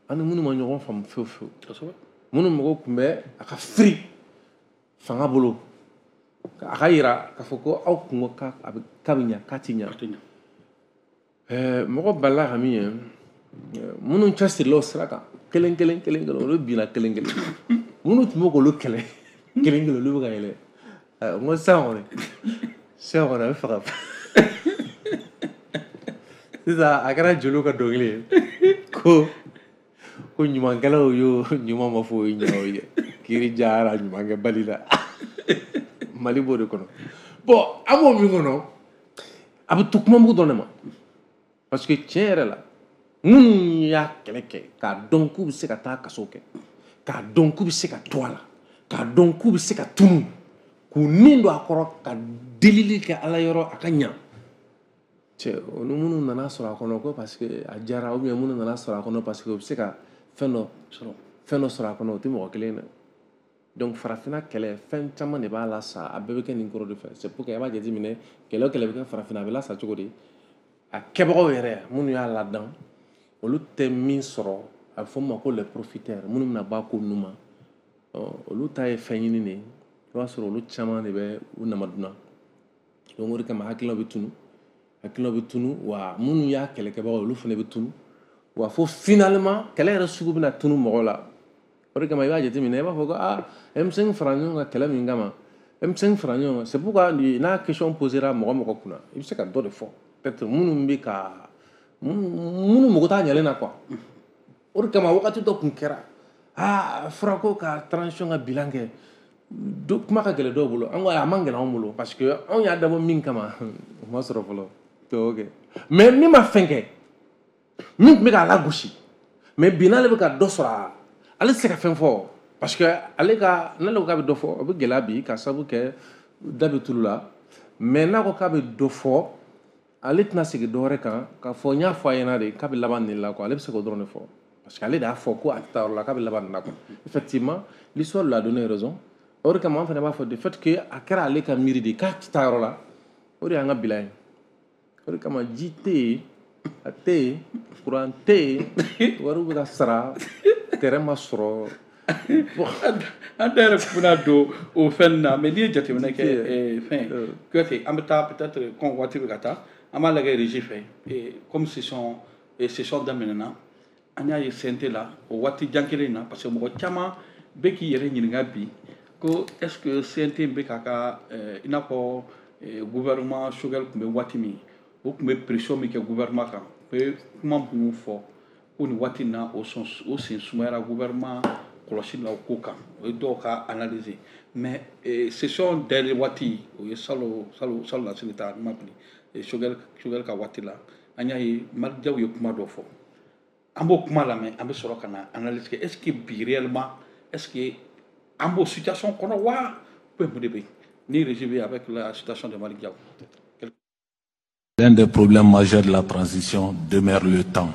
an ni minnu ma ɲɔgɔn faamu fewu fewu, minnu mago tun bɛ a ka firi fanga bolo, a ka yira k'a fɔ ko aw kun ko k'a bɛ k'a bɛ ɲa k'a ti ɲa. Mɔgɔ balila ka min ye, minnu cɛsirila o sira kan kelen kelen kelen kelen, olu binna kelen kelen. Minnu tun bɛ k'olu kɛlɛ kelen kelen, olu bɛ ka yɛlɛ. N ko sisan kɔni, sisan kɔni a bɛ fɛ ka sisan a kɛra jeliw ka dɔnkili ye ko ko ɲumankɛlaw y'o ɲuman ma fɔ o ye ɲumanw ye, kiiri jara ɲumankɛbali la. Mali b'o de kɔnɔ. Bon, an b'o min kɔnɔ, a bɛ to kumamugu dɔrɔn de ma, parce que tiɲɛ yɛrɛ la, minnu y'a kɛlɛ kɛ k'a dɔn k'u bɛ se ka taa kaso kɛ, k'a dɔn k'u bɛ se ka to a la, k'a dɔn k'u bɛ se ka tunu, k'u nin don a kɔrɔ ka delili kɛ Ala yɔrɔ a ka ɲa. Cɛ, olu minnu nana sɔrɔ a kɔnɔ ko parce que a diyara, ou bien minnu nana sɔrɔ a kɔnɔ parce que u bɛ se ka fɛn dɔ sɔrɔ fɛn dɔ sɔrɔ a kɔnɔ, o tɛ mɔgɔ kelen ye dɛ. Donc farafinna kɛlɛ fɛn caman de b'a la sa, a bɛɛ bɛ kɛ nin kɔrɔ de fɛ. C'est pour que i b'a jateminɛ, kɛlɛ o kɛlɛ bɛ kɛ farafinna, a bɛ lasa cogo di? A kɛbagaw yɛrɛ minnu y'a ladan, Olu tɛ min sɔrɔ, a bɛ fɔ min ma ko les profiteurs, minnu bɛna bɔ a ko ninnu ma, olu ta ye fɛn ɲini de ye. I b'a sɔrɔ olu caman de bɛ u namadunna. Donc o de kama hakilinaw bɛ tunu, hakilinaw bɛ tunu, wa minnu y'a kɛlɛkɛbagaw, olu fana bɛ tunu, wa fo finalement kɛlɛ yɛrɛ sugu bɛna tunu mɔgɔw la. O de kama i b'a jateminɛ, i b'a fɔ ko aa, M cinq fara ɲɔgɔn kan kɛlɛ min kama, M cinq fara ɲɔgɔn kan, c'est pourquoi n'a question posera mɔgɔ mɔgɔ kunna, i bɛ se ka dɔ de fɔ, peut-être minnu bɛ ka minnu mago t'a ɲɛlen na quoi. O de kama wagati dɔ tun kɛra, aa, fɔra ko ka transition ka bilan kɛ, kuma ka gɛlɛn dɔw bolo. An ko a man gɛlɛn anw bolo, parce que anw y'a dabɔ min kama, o ma sɔrɔ fɔlɔ. Ok, mais min ma fɛn kɛ, min tun bɛ k'a lagosi, mais bi n'ale bɛ ka dɔ sɔrɔ a la, ale tɛ se ka fɛn fɔ, parce que ale ka, n'ale ko k'a bɛ dɔ fɔ, o bɛ gɛlɛya bi, ka sababu kɛ da bɛ tulu la. Mais n'a ko k'a bɛ dɔ fɔ, ale tɛna segin dɔ wɛrɛ kan k'a fɔ n y'a fɔ a ɲɛna de k'a bɛ laban nin la quoi. Ale bɛ se k'o dɔrɔn de fɔ, parce que ale de y'a fɔ ko a tɛ taa yɔrɔ la, k'a bɛ laban nin la quoi. Effectivement, l'histoire lui a donné raison. O de kama an fana b'a fɔ, de fait que a kɛra ale ka miiri de k'a tɛ taa yɔrɔ la, o de y'an ka bilan ye. O de kama ji tɛ yen, a tɛ yen, courant tɛ yen, wariw bɛ ka sara, terrain ma sɔrɔ. An da yɛrɛ bɛna don o fɛn na, mais n'i ye jateminɛ kɛ, fɛn Kuyate, an bɛ taa peut-être comme waati bɛ ka taa, an b'a lajɛ régie fɛ. Comme session session daminɛna, an y'a ye C N T la o waati jan kelen in na, parce que mɔgɔ caman bɛ k'i yɛrɛ ɲininka bi ko est ce que C N T bɛ k'a ka, i n'a fɔ gouvernement Choguel tun bɛ waati min, o tun bɛ pression min kɛ gouvernement kan, u bɛ kuma minnu fɔ ko nin waati in na, o sɔn o sen sumayara gouvernement kɔlɔsi la o ko kan. O ye dɔw ka analyse. Mais session dayɛlɛ waati, o ye salo salo salo lasini ta ma fili, Choguel Choguel ka waati la, an y'a ye Malick Diaw ye kuma dɔ fɔ. An b'o kuma lamɛn, an bɛ sɔrɔ ka na analyse kɛ. est ce que bi réellement, est ce que an b'o situation kɔnɔ wa, ou mun de bɛ yen ni régie bɛ avec la situation de Malick Diaw? L'un des problèmes majeurs de la transition demeure le temps.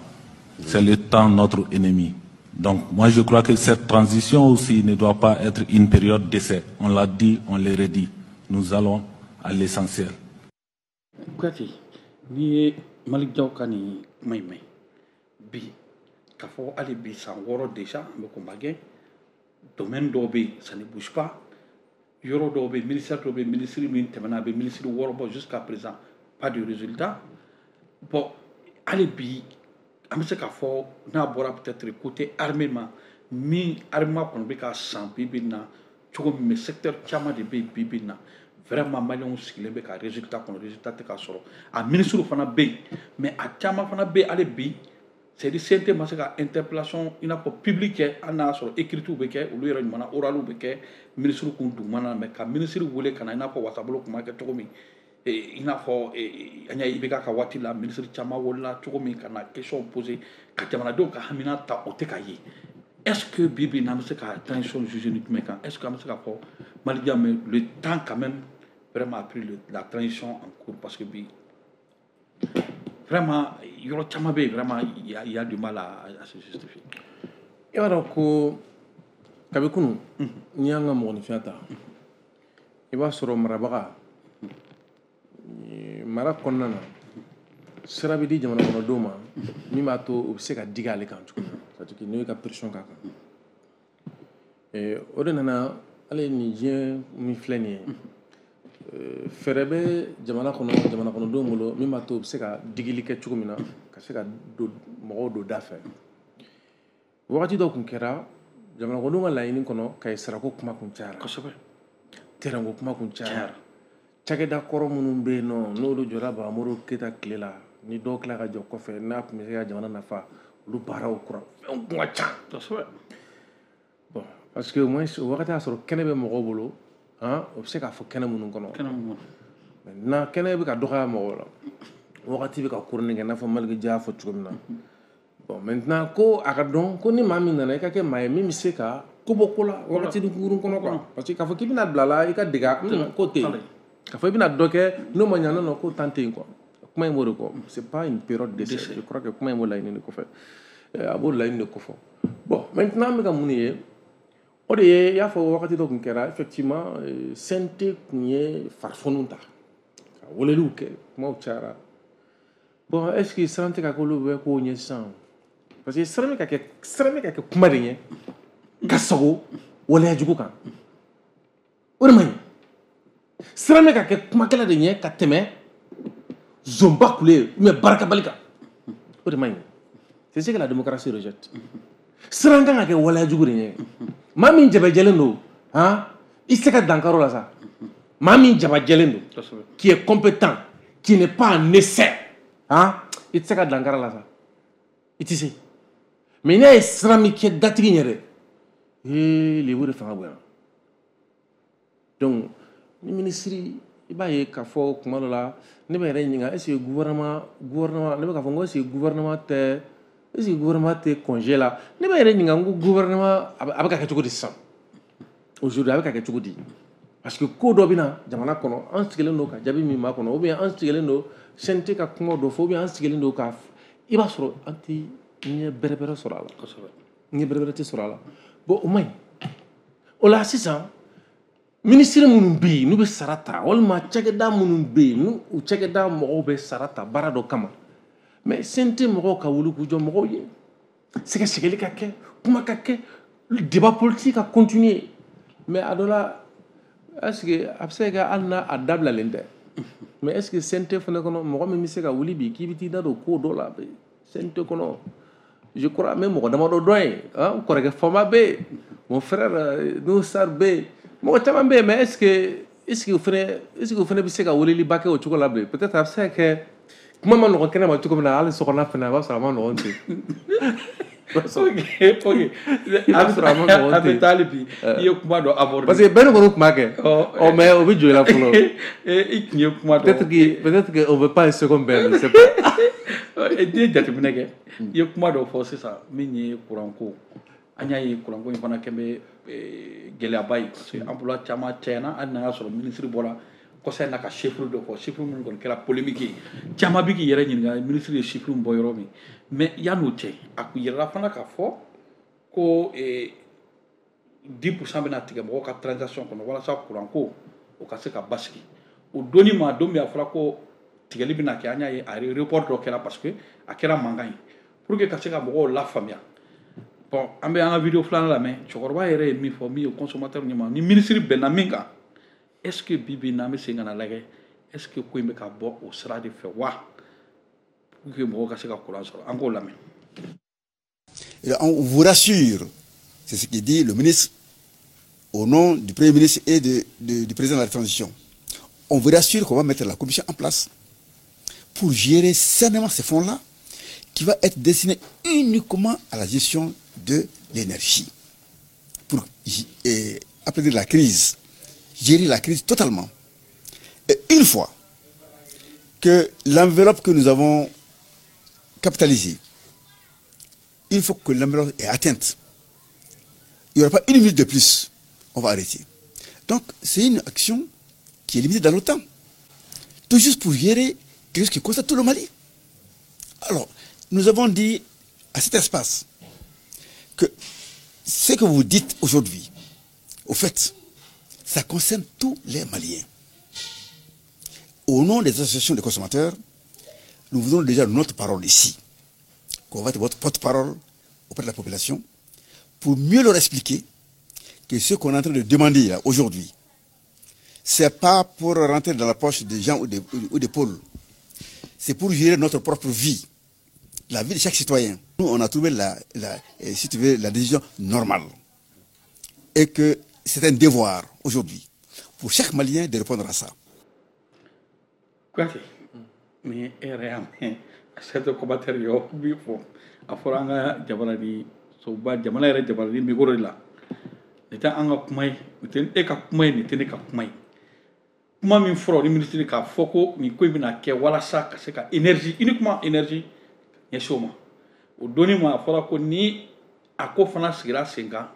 C'est le temps notre ennemi. Donc moi, je crois que cette transition aussi ne doit pas être une période d'essai. On l'a dit, on le redit. Nous allons à l'essentiel. Kuyate, n'i ye Malick Diaw ka nin kuma in mɛn bi, k'a fɔ hali bi san wɔɔrɔ déjà an bɛ combat kɛ, domaine dɔw bɛ yen, ça ne bouge pas, yɔrɔ dɔw bɛ yen, ministère dɔw bɛ yen, ministre min tɛmɛna, a bɛ ministre wɔɔrɔ bɔ, jusqu'à présent pas de résultat. Bon, hali bi an bɛ se k'a fɔ n'a bɔra peut-être côté armée ma, min armée kɔni bɛ ka san bi bi in na cogo min, mais secteur caman de bɛ yen bi bi in na, vraiment maliyɛnw sigilen bɛ ka résultat kɔnɔ, résultat tɛ ka sɔrɔ. A ministre fana bɛ yen, mais a caman fana bɛ yen hali bi, c'est à dire C N T ma se ka interpellation i n'a fɔ public kɛ, hali n'a y'a sɔrɔ écrites bɛ kɛ, olu yɛrɛ ɲuman na, orales bɛ kɛ ministre kun dugumana na, mais ka ministre wele ka na, i n'a fɔ wasabolo tun b'a kɛ cogo min, i n'a fɔ an y'a ye I B K ka waati la, ministre caman wolola cogo min ka na question poser ka jamanadenw ka hamina ta, o tɛ ka ye. Est ce que bi bi in na, an bɛ se ka transition juger ni jumɛn kan? Est ce que an bɛ se ka fɔ Malick Diaw, mais le temps quand même vraiment a pris le, la transition en cours, parce que bi vraiment yɔrɔ caman bɛ yen, vraiment il y a, il y a du mal à, à se justifier? I b'a dɔn ko kabi kunun, n'i y'an ka mɔgɔninfinya ta, i b'a sɔrɔ marabaga mara kɔnɔna na, sira bɛ di jamana kɔnɔdenw ma min b'a to u bɛ se ka digi ale kan cogo min na, c'est à dire n'o ye ka pression k'a kan. O de nana hali nin diɲɛ min filɛ nin ye, fɛɛrɛ bɛ jamana kɔnɔ, jamana kɔnɔdenw bolo min b'a to u bɛ se ka digili kɛ cogo min na, ka se ka don mɔgɔw don da fɛ. Wagati dɔ tun kɛra jamana kɔnɔdenw ka laɲini kɔnɔ, kaye sarako kuma kun cayara. Kosɛbɛ. Terrain kuma kun cayara, cakɛda kɔrɔ minnu bɛ yen nɔ, n'olu jɔra Bamuru Keyita tile la, ni dɔw tila ka jɔ kɔfɛ, n'a tun bɛ se ka jamana nafa, olu baaraw kura fɛnw kun ka ca. Kosɛbɛ. Bon, parce que au moins o wagati y'a sɔrɔ kɛnɛ bɛ mɔgɔw bolo, han, o bɛ se k'a fɔ kɛnɛ minnu kɔnɔ. Kɛnɛ mun kɔnɔ? Maintenant kɛnɛ bɛ ka dɔgɔya mɔgɔw la, wagati bɛ ka kurunin kɛ, i n'a fɔ Malick Diaw y'a fɔ cogo min na. Bon, maintenant ko a ka dɔn ko ni maa min nana, i ka kɛ maa ye min bɛ se ka ko bɔ ko la wagati kunkurun kɔnɔ quoi, parce que k'a fɔ k'i bɛna bila la i ka dege ko tɛ yen, k'a fɔ i bɛna dɔ kɛ n'o ma ɲa, non non, ko tan tɛ yen quoi. Kuma in b'o de kɔ, c'est pas une période d'essai. Je crois que kuma in b'o laɲini de kɔfɛ, a b'o laɲini de kɔfɛ. Bon, maintenant an bɛ ka mun de ye? O de ye i y'a fɔ wagati dɔ tun kɛra, effectivement C N T tun ye farifoniw ta ka weleliw kɛ, kumaw cayara. Bon, est ce que siran tɛ ka k'olu bɛ kow ɲɛ sisan? Parce que siran bɛ ka kɛ siran bɛ ka kɛ kuma de ɲɛ ka sago waleya jugu kan. O de man ɲi. Siran bɛ ka kɛ kumakɛla de ɲɛ ka tɛmɛ zonba kule ou bien baarakɛbali kan. O de man ɲi. C'est ce que la démocratie rejette. Siran kan ka kɛ waleya jugu de ɲɛ. Maa min jabajɛlen don, han, i tɛ se ka dankari o la sa. Maa min jabajɛlen don, qui est compétent, qui n'est pas en essai, han, i tɛ se ka dankari la sa. I tɛ se. Mais n'i y'a ye siran min kɛ datigi ɲɛ dɛ, ee lebu de fanga bonyana. Donc ni ministre, i b'a ye k'a fɔ kuma dɔ la, ne bɛ yɛrɛ ɲininka, est ce que gouvernement gouvernement ne bɛ k'a fɔ n ko est ce que gouvernement tɛ est ce que gouvernement tɛ congé la? Ne bɛ yɛrɛ ɲininka n ko gouvernement a bɛ ka kɛ cogo di sisan? Aujourd'hui a bɛ ka kɛ cogo di? Parce que ko dɔ bɛ na jamana kɔnɔ, an sigilen don ka jaabi min makɔnɔ, ou bien an sigilen don C N T ka kuma dɔ fɔ, ou bien an sigilen don ka, i b'a sɔrɔ an tɛ ɲɛ bɛrɛ bɛrɛ sɔrɔ a la. Ɲɛ bɛrɛ bɛrɛ tɛ sɔrɔ a la. Bon, o man ɲi. O la sisan, minisiri minnu bɛ yen n'u bɛ sara ta, walima cakɛda minnu bɛ yen n'u u cakɛda mɔgɔw bɛ sara ta baara dɔ kama, mais C N T mɔgɔw ka wuli k'u jɔ mɔgɔw ye, sɛgɛsɛgɛli ka kɛ, kuma ka kɛ, débat politique ka continuer. Mais a dɔ la, est ce que a bɛ se ka kɛ hali n'a a dabilalen tɛ, mais est ce que C N T fana kɔnɔ mɔgɔ min bɛ se ka wuli bi k'i bɛ t'i da don ko dɔ la C N T kɔnɔ? Je crois n bɛ mɔgɔ damadɔ dɔn yen, n kɔrɔkɛ Fama bɛ yen, mon frère Nuhu Sar bɛ yen, mɔgɔ caman bɛ yen, mais est ce que est ce que o fana est ce que o fana bɛ se ka weleliba kɛ o cogo la bilen? Peut-être a bɛ se ka kɛ kuma ma nɔgɔn kɛnɛ ma cogo min na, hali sokɔnɔna fana a b'a sɔrɔ a ma nɔgɔn ten. Ok, ok. A bɛ sɔrɔ a ma nɔgɔn ten. An bɛ taa hali bi, i ye kuma dɔ aborder. Parce que bɛɛ ni kɔni tun b'a kɛ. Ɔ mais o bɛ jɔ i la fɔlɔ. I tun ye kuma dɔ. Peut-être que peut-être que on veut pas un second bɛn, je sais pas. I ye jateminɛ kɛ, i ye kuma dɔ fɔ sisan min ye kuranko. An y'a ye kuranko in fana kɛ bɛ gɛlɛyaba ye, parce que emploi caman cayana, hali n'a y'a sɔrɔ minisiri bɔra kɔsa in na ka chiffre dɔ fɔ, chiffre minnu kɔni kɛra polémique ye. Caman bɛ k'i yɛrɛ ɲininka minisiri ye chiffre min bɔ yɔrɔ min. Mais yan'o cɛ, a kun yirala fana k'a fɔ ko dix pour cent bɛna tigɛ mɔgɔw ka transaction kɔnɔ walasa kuranko o ka se ka basigi. O donni ma, don min a fɔra ko tigɛli bɛna kɛ, an y'a ye a report dɔ kɛra parce que a kɛra mankan ye pour que ka se ka mɔgɔw lafaamuya. Bon, an bɛ an ka vidéo filanan lamɛn. Cɛkɔrɔba yɛrɛ ye min fɔ, min ye consommateur ɲɛma, ni minisiri bɛnna min kan, est ce que bi bi in na an bɛ segin ka na lajɛ, est ce que ko in bɛ ka bɔ o sira de fɛ wa, pour que mɔgɔw ka se ka courant sɔrɔ? An k'o lamɛn. On vous rassure, c'est ce qui dit le ministre au nom du Premier ministre et de, de, du président de la transition. On vous rassure qu'on va mettre la commission en place pour gérer sainement ces fonds-là, qui va être destiné uniquement à la gestion de l'énergie. Pour et, apaiser la crise, gérer la crise totalement. Et une fois que l'enveloppe que nous avons capitalisée, une fois que l'enveloppe est atteinte, il n'y aura pas une minute de plus, on va arrêter. Donc c'est une action qui est limitée dans le temps, tout juste pour gérer quelque chose qui concerne tout le Mali. Alors, nous avons dit à cet espace que ce que vous dites aujourd'hui, au fait, ça concerne tous les Maliens. Au nom des associations de consommateurs, nous vous donnons déjà notre parole ici, qu'on va être votre porte-parole auprès de la population, pour mieux leur expliquer que ce qu'on est en train de demander là aujourd'hui, c'est pas pour rentrer dans la poche des gens ou des, ou des pôles, c'est pour gérer notre propre vie, la vie de chaque citoyen. Nous, on a trouvé la, la, si tu veux, la décision normale. Et que c'est un devoir aujourd'hui pour chaque Malien de répondre à ça. Quoi? Mais cette commentaire yo bi fo a fɔra an ka jamana ni soba jamana yɛrɛ jamana ni micro de la. Nin tɛ an ka kuma ye, nin tɛ e ka kuma ye, nin tɛ ne ka kuma ye. Kuma min fɔra ni minisiri k'a fɔ ko nin ko in bɛna kɛ walasa ka se ka énergie, uniquement énergie ɲɛsin o ma. O donni ma, a fɔra ko ni a ko fana sigira sen kan,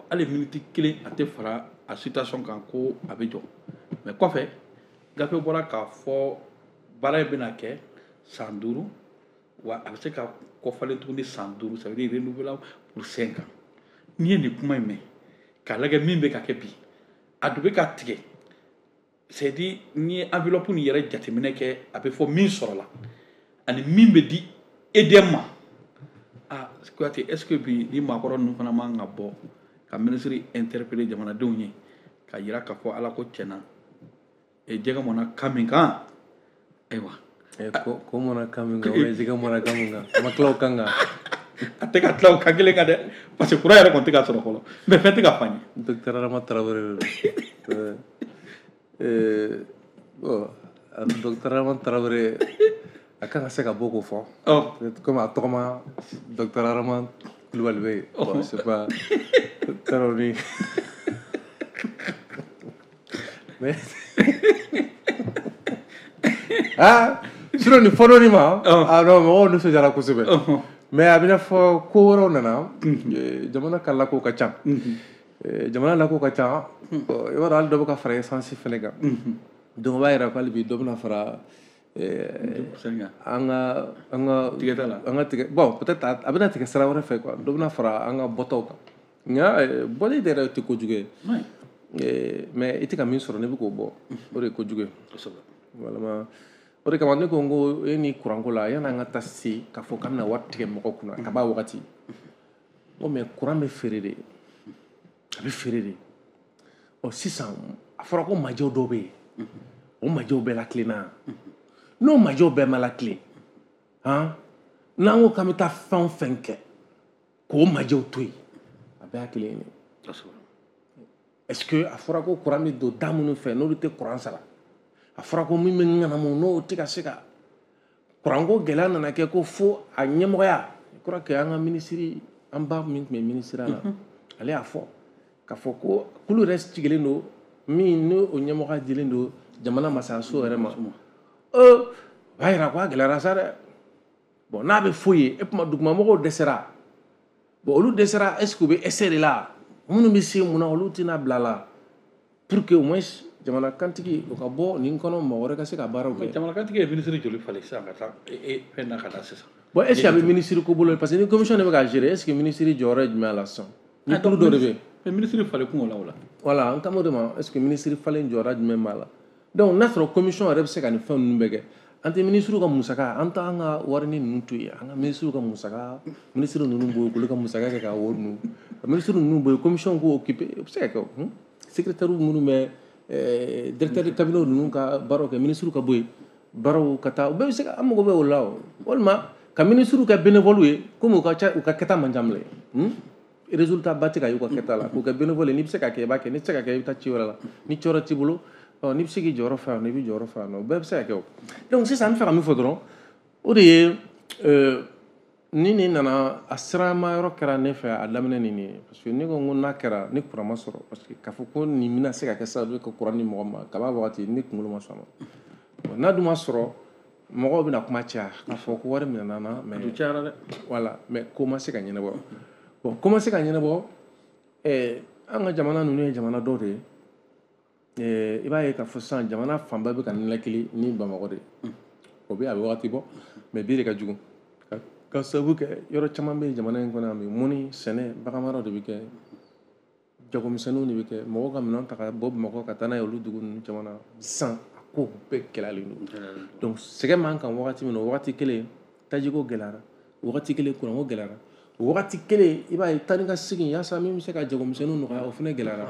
hali miniti kelen a tɛ fara a situation kan, ko a bɛ jɔ. Mais kɔfɛ gafe bɔra k'a fɔ baara in bɛna kɛ san duuru, wa a bɛ se ka kɔfalen tuguni san duuru, ça veut dire renouvelable pour cinq ans. N'i ye nin kuma in mɛn k'a lajɛ min bɛ ka kɛ bi, a dun bɛ ka tigɛ, c'est à dire n'i ye enveloppe nin yɛrɛ jateminɛ kɛ, a bɛ fɔ min sɔrɔla ani min bɛ di E D M ma, a Kuyate, est-ce que bi ni maakɔrɔ ninnu fana man ka bɔ ka ministre interpeller jamanadenw ye ka yira k'a fɔ Ala ko tiɲɛna jɛgɛ mɔnna kan min kan, ayiwa ko ko mɔnna kan min kan, ou bien jɛgɛ mɔnna kan min kan, a ma tila o kan kan, a tɛ ka tila o kan kelen kan dɛ, parce que courant yɛrɛ kɔni tɛ ka sɔrɔ fɔlɔ, mais fɛn tɛ ka fɔ an ye. Docteur Adama Traoré de don. Bon, docteur Adama Traoré a kan ka se ka bɔ k'o fɔ. Comme a tɔgɔ ma docteur Adama Kulibali bɛ yen. Bon, c'est pas Traoré. Mais ah, sinon nin fɔ dɔɔni ma, ah non, mɔgɔw nisɔndiyara kosɛbɛ. Mais a bɛna fɔ ko wɛrɛw nana, jamana ka lako ka ca. Jamana lako ka ca, i b'a dɔn hali dɔ bɛ ka fara essence fɛnɛ kan. Donc o b'a yira ko hali bi dɔ bɛna fara an ka an ka tigɛta la, an ka tigɛ, bon peut-être a bɛna tigɛ sira wɛrɛ fɛ quoi, dɔ bɛna fara an ka bɔtaw kan. Nka bɔli de yɛrɛ tɛ kojugu ye. Mais i tɛ ka min sɔrɔ n'i bɛ k'o bɔ, o de ye kojugu ye. Walima o de kama ne ko n ko e ni kuranko la, yan'an ka taa se k'a fɔ k'an bɛna wari tigɛ mɔgɔ kunna kab'a wagati, n ko mais kuran bɛ feere de, a bɛ feere de. Ɔ sisan a fɔra ko majɛw dɔw bɛ yen, o majɛw bɛɛ lakilenna, n'o majɛw bɛɛ ma lakilen, han, n'an ko k'an bɛ taa fɛn o fɛn kɛ k'o majɛw to yen, a bɛɛ y'a kelen ye. Est-ce que a fɔra ko kuran bɛ don da minnu fɛ n'olu tɛ kuran sara, a fɔra ko min bɛ ŋanamu n'o tɛ ka se ka kuranko gɛlɛya nana kɛ ko fo a ɲɛmɔgɔya, je crois que an ka minisiri, an ba min tun bɛ minisiriya la, ale y'a fɔ k'a fɔ ko kulu yɛrɛ sigilen don min n'o ɲɛmɔgɔya dilen don jamana masaso yɛrɛ ma. Ee, o b'a yira ko a gɛlɛyara sa dɛ. Bon, n'a bɛ fɔ yen, e tuma dugumamɔgɔw dɛsɛra, bon olu dɛsɛra, est-ce que u bɛ essai de la, minnu bɛ se mun na olu tɛna bila la pour que au moins jamana kantigi o ka bɔ nin kɔnɔ, mɔgɔ wɛrɛ ka se ka baaraw kɛ. Jamana kantigi ye ministre joli falen sisan ka taa fɛn na ka taa sisan? Bon, est-ce que a bɛ ministre ko bolo, parce que ni commission de bɛ ka gérer, est-ce que ministre jɔyɔrɔ ye jumɛn la sisan? Ni kulu dɔ de bɛ yen. Mais ministre falen kun o la o la. Voilà, an kan b'o de ma, est-ce que ministre falen jɔyɔrɔ jumɛn b'a la? Donc n'a sɔrɔ commission yɛrɛ bɛ se ka nin fɛn ninnu bɛɛ kɛ, an tɛ ministre ka musaka, an t'an ka warini ninnu to yen, an ka ministre ka musaka, ministre ninnu bɔ yen k'olu ka musaka kɛ ka wari ninnu, ka ministre ninnu bɔ yen, commission k'o occuper, o bɛ se ka kɛ o. Secrétaire minnu bɛ directeur de cabinet ninnu ka baaraw kɛ, ministre ka bɔ yen, baaraw ka taa, o bɛɛ bɛ se ka, an mago bɛ o la o. Walima ka ministre kɛ bénévole ye, komi u ka ca, u ka kɛta man ca bilen, résultat ba tɛ ka y'u ka kɛta la, k'u kɛ bénévole ye, n'i bɛ se ka kɛ i b'a kɛ, n'i tɛ se ka kɛ i bɛ taa ci wɛrɛ la, ni ci wɛrɛ t'i bolo, ɔ n'i bɛ se k'i jɔyɔrɔ fa yan nɔ, i b'i jɔyɔrɔ fa yan nɔ, o bɛɛ bɛ se ka kɛ o. Donc sisan an bɛ fɛ ka min fɔ dɔrɔn, o de ye ni nin nana a sirama yɔrɔ kɛra ne fɛ a daminɛ ni nin ye, parce que ne ko n ko n'a kɛra ni kuran ma sɔrɔ, parce que k'a fɔ ko nin bɛna se ka kɛ sababu ye ka kuran di mɔgɔ ma kab'a wagati, ne kunkolo ma sɔn a ma. N'a dun ma sɔrɔ, mɔgɔw bɛna kuma caya k'a fɔ ko wari minɛna na, mais cayara dɛ. Voilà, mais ko ma se ka ɲɛnabɔ. Bon, ko ma se ka ɲɛnabɔ, ɛɛ an ka jamana ninnu ye jamana dɔw de ye, i b'a ye k'a fɔ sisan jamana fanba bɛ ka nilakili ni Bamakɔ de ye. O bɛ a bɛ wagati bɔ, mais bi de ka jugu. Ka sababu kɛ yɔrɔ caman bɛ jamana in kɔnɔ yan bi, mɔni, sɛnɛ, baganmara de bɛ kɛ, jagomisɛnninw de bɛ kɛ, mɔgɔw ka minɛn ta ka bɔ Bamakɔ ka taa n'a ye olu dugu ninnu caman na sisan, a ko bɛɛ gɛlɛyalen don. Donc sɛgɛn b'an kan wagati min na, o wagati kelen tajiko gɛlɛyara, o wagati kelen kuranko gɛlɛyara, o wagati kelen i b'a ye taa ni ka segin yaasa min bɛ se ka jagomisɛnninw nɔgɔya, o fana gɛlɛyara.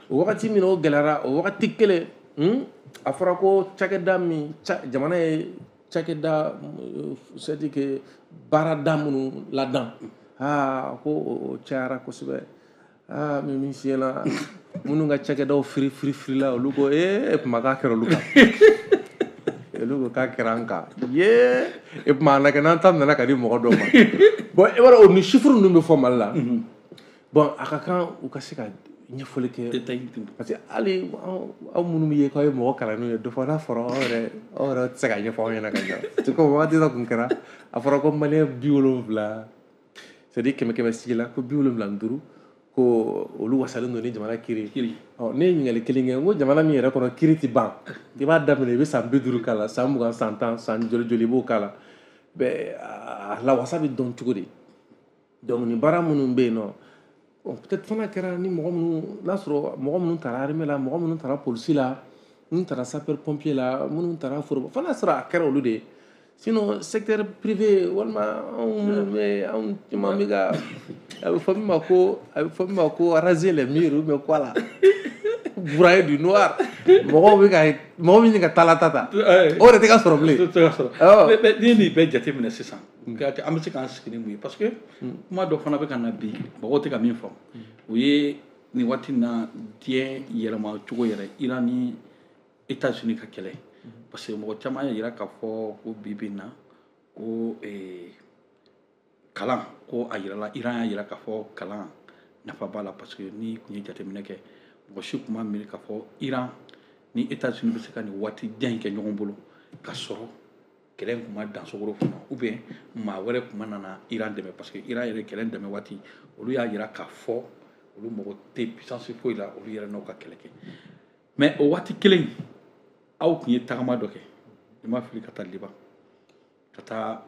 O wagati min na o gɛlɛyara, o wagati kelen a fɔra ko cakɛda min jamana ye cakɛda, c'est-à-dire que baarada minnu ladan, aa ko o cayara kosɛbɛ. Aa min min fiyɛna minnu ka cakɛdaw firi firi firila, olu ko ee kuma k'a kɛra olu kan, olu ko k'a kɛra an kan yee, e kuma a na kɛ n'an ta nana ka di mɔgɔ dɔw ma. Bon, e b'a dɔn o ni chiffre ninnu bɛ fɔ Mali la. Bon, a ka kan u ka se ka ɲɛfɔli kɛ, parce que hali aw minnu bɛ ye k'aw ye mɔgɔ kalannenw ye, dɔ fɔ n'a fɔra aw yɛrɛ aw yɛrɛ tɛ se ka ɲɛfɔ aw ɲɛna ka ɲɛ. C'est comme wagati dɔ tun kɛra, a fɔra ko maliyɛn bi wolonwula, c'est à dire kɛmɛ kɛmɛ sigi la ko bi wolonwula ni duuru ko olu wasalen don ni jamana kiiri. Ɔ ne ye ɲininkali kelen kɛ, n ko jamana min yɛrɛ kɔnɔ kiiri tɛ ban, i b'a daminɛ i bɛ san bi duuru k'a la, san mugan, san tan, san joli joli i b'o k'a la, bɛɛ a lawasa bɛ dɔn cogo di? Donc nin baara minnu bɛ yen nɔ, bon, peut-être fana kɛra ni mɔgɔ minnu n'a sɔrɔ mɔgɔ minnu taara armée la, mɔgɔ minnu taara polisi la, minnu taara sapeur pompier la, minnu taara foroba, fana sɔrɔ a kɛra olu de ye. Sinon secteur privé walima anw minnu bɛ anw caman bɛ ka a bɛ fɔ min ma ko a bɛ fɔ min ma ko raser les murs ou bien quoi là, broyer du noir, mɔgɔw bɛ ka mɔgɔ bɛ ɲini ka taala ta ta o yɛrɛ tɛ ka sɔrɔ bilen. Tɛ ka sɔrɔ. Mais n'i ye nin bɛɛ jateminɛ sisan, Kuyate, an bɛ se k'an sigi ni mun ye? Parce que kuma dɔ fana bɛ ka na bi, mɔgɔw tɛ ka min faamu, o ye nin waati in na diɲɛ yɛlɛma cogo yɛrɛ, Iran ni États-Unis ka kɛlɛ. Parce que mɔgɔ caman y'a jira k'a fɔ ko bi bi in na ko kalan ko a yirala, Iran y'a jira k'a fɔ kalan nafa b'a la. Parce que n'i tun ye jateminɛ kɛ, mɔgɔ si tun ma miiri k'a fɔ Iran ni États-Unis bɛ se ka nin waati jan in kɛ ɲɔgɔn bolo ka sɔrɔ kɛlɛ in tun ma dan sokoro kunna, ou bien maa wɛrɛ tun ma nana Iran dɛmɛ. Parce que Iran yɛrɛ kɛlɛ dɛmɛ waati, olu y'a jira k'a fɔ olu mago tɛ puissance foyi la, olu yɛrɛ n'aw ka kɛlɛ kɛ. Mais o waati kelen, aw tun ye tagama dɔ kɛ, i ma fili, ka taa Liban ka taa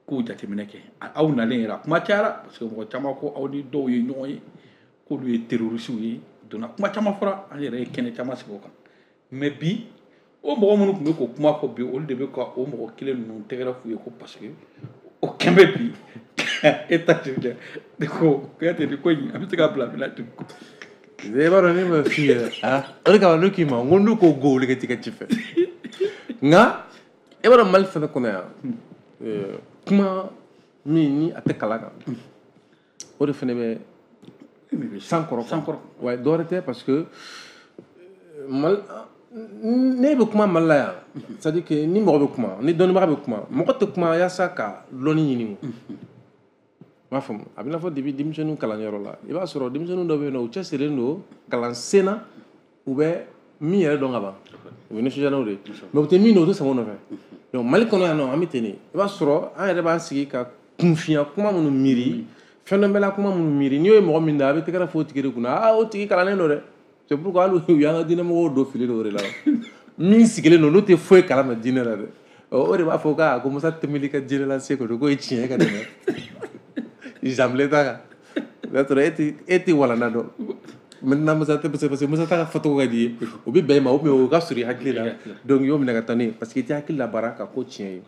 kow jateminɛ kɛ. Aw nalen yɛrɛ, a kuma cayara, parce que mɔgɔ caman ko aw ni dɔw ye ɲɔgɔn ye, k'olu ye terroristew ye. Donna kuma caman fɔra, an yɛrɛ ye kɛnɛ caman sigi o kan. Mais bi, o mɔgɔ minnu tun bɛ k'o kuma fɔ bi, olu de bɛ ka o mɔgɔ kelen ninnu tɛgɛrɛ f'u ye ko parce que o kɛn bɛ bi États-Unis de ko. Kuyate, nin ko in, an bɛ se ka bila bila ten? I b'a dɔn ne ma f'i ye, o de kama ne k'i ma n ko n'u ko go, olu ka t'i ka ci fɛ. Nka e b'a dɔn, Mali fɛnɛ kɔnɔ yan, kuma min ni a tɛ kalan kan, o de fɛnɛ bɛ san kɔrɔ. San kɔrɔ. Ouais, dɔ wɛrɛ tɛ, parce que Mali, ne bɛ kuma Mali la yan, c'est à dire que ni mɔgɔ bɛ kuma, ni dɔnnibaga bɛ kuma, mɔgɔ tɛ kuma yaasa ka lɔnni ɲini. O n b'a faamu, a bɛ n'a fɔ depuis denmisɛnninw kalanyɔrɔ la, i b'a sɔrɔ denmisɛnnin dɔ bɛ yen nɔ, u cɛsirilen don kalansen na, u bɛ min yɛrɛ dɔn ka ban, u bɛ nisɔndiya n'o de ye, mais u tɛ min dɔn, u tɛ sama o nɔfɛ. Donc Mali kɔnɔ yan nɔ, an bɛ ten de. I b'a sɔrɔ an yɛrɛ b'an sigi ka kunfinya kuma minnu miiri, fɛn dɔ bɛla kuma minnu miiri, n'i y'o ye mɔgɔ min da, a bɛ tɛgɛrɛ fɔ o tigi de kunna: aa, o tigi kalannen don dɛ. C'est pourquoi hali u y'an ka diinɛmɔgɔw don fili dɔ de la. Min sigilen don, n'o tɛ foyi kalama diinɛ la dɛ, o de b'a fɔ ko ko Musa Tɛmɛli ka diinɛ lase kɔni k'o ye tiɲɛ ka tɛmɛ Janvier ta kan. O y'a sɔrɔ e ti e ti walanda dɔn. Maintenant Musa tɛ, parce que Musa ta ka fɔcogo ka di ye, o bɛ bɛn i ma, ou bien o ka surun i hakili la, donc i y'o minɛ ka taa n'o ye, parce que i tɛ hakili labaara ka ko tiɲɛ ye.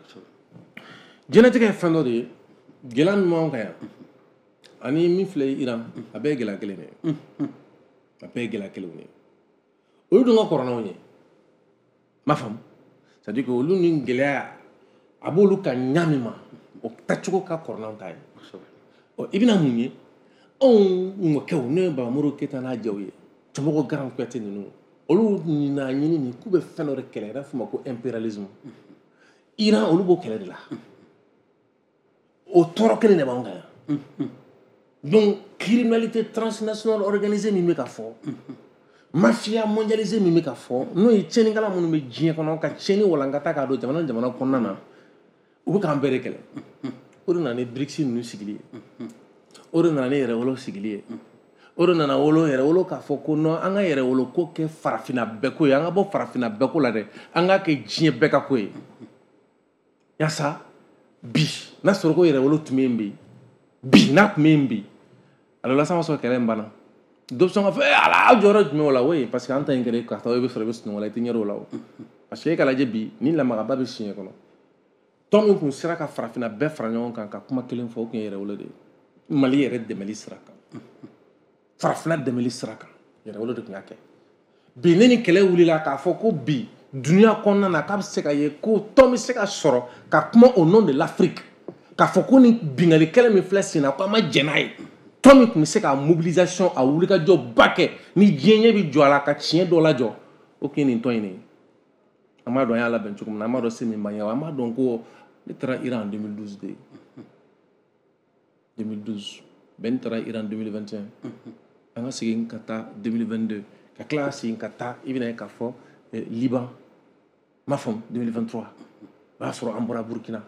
Diɲɛlatigɛ ye fɛn dɔ de ye, gɛlɛya min b'anw kan yan ani min filɛ Iran, a bɛɛ ye gɛlɛya kelen de ye, a bɛɛ ye gɛlɛya kelenw de ye. Olu dun ka kɔrɔ n'anw ye, n m'a faamu. C'est à dire que olu ni gɛlɛya a b'olu ka ɲa min ma, o tacogo ka kɔrɔ n'anw ta ye. Ɔ, i bɛna mun ye? Anw mɔkɛw, ne ye Babamori Keyita n'a jɛw ye, Cɛmɔgɔ Garan Kuyate ninnu, olu n'a ɲini nin k'u bɛ fɛn dɔ de kɛlɛ, i b'a fɔ o ma ko impérialisme. Iran, olu b'o kɛlɛ de la, o tɔɔrɔ kelen de b'anw kan yan. Donc criminalité transnationale organisée min bɛ ka fɔ, mafia mondialisée min bɛ ka fɔ, n'o ye tiɲɛnikɛla minnu bɛ diɲɛ kɔnɔ ka tiɲɛni walankata k'a don jamana ni jamana kɔnɔna na, u bɛ k'an bɛɛ de kɛlɛ. O de nana ni BRICS ninnu sigili ye, o de nana ni yɛrɛwolo sigili ye, o de nana wolo yɛrɛwolo k'a fɔ ko non, an ka yɛrɛwolo ko kɛ farafinna bɛɛ ko ye, an ka bɔ farafinna bɛɛ ko la dɛ, an k'a kɛ diɲɛ bɛɛ ka ko ye. Yaasa bi n'a sɔrɔ ko yɛrɛwolo tun bɛ yen bi, bi n'a tun bɛ yen bi, alors la, san sɔrɔ kɛlɛ in banna. Dɔ bɛ sɔn ka fɔ ee ala, aw jɔyɔrɔ jumɛn o la? O ye parce que an ta in kɛra ka taa, i bɛ sɔrɔ i bɛ sunɔgɔ la, i tɛ ɲɛ o la. O parce que e ka lajɛ bi, ni lamagaba bɛ siɲɛ kɔnɔ, tɔn min tun sera ka farafinna bɛɛ fara ɲɔgɔn kan ka kuma kelen fɔ, o tun ye yɛrɛwolo de ye. Mali yɛrɛ dɛmɛli sira kan, farafinna dɛmɛli sira kan, yɛrɛwolo de tun y'a kɛ. Bi ne ni kɛlɛ wulila k'a fɔ ko bi dunuya kɔnɔna na, k'a bɛ se ka ye ko tɔn bɛ se ka sɔrɔ ka kuma au nom de l'Afrique, k'a fɔ ko ni bingali kɛlɛ min filɛ sen na, ko an ma jɛn n'a ye. Tɔn min tun bɛ se ka mobilisation, a wulikajɔ ba kɛ ni diɲɛ ɲɛ bɛ jɔ a la ka tiɲɛ dɔ lajɔ, o tun ye nin tɔn in de ye. An b'a dɔn an y'a labɛn cogo min na, an b'a dɔn se min b'an ye, an b'a dɔn ko ne taara Iran en deux mille douze de deux mille douze, Ben taara Iran deux mille vingt et un, an ka segin ka taa deux mille vingt-deux, ka tila ka segin ka taa, i bɛna ye k'a fɔ Liban, m'a faamu, deux mille vingt-trois, o y'a sɔrɔ an bɔra Burukina,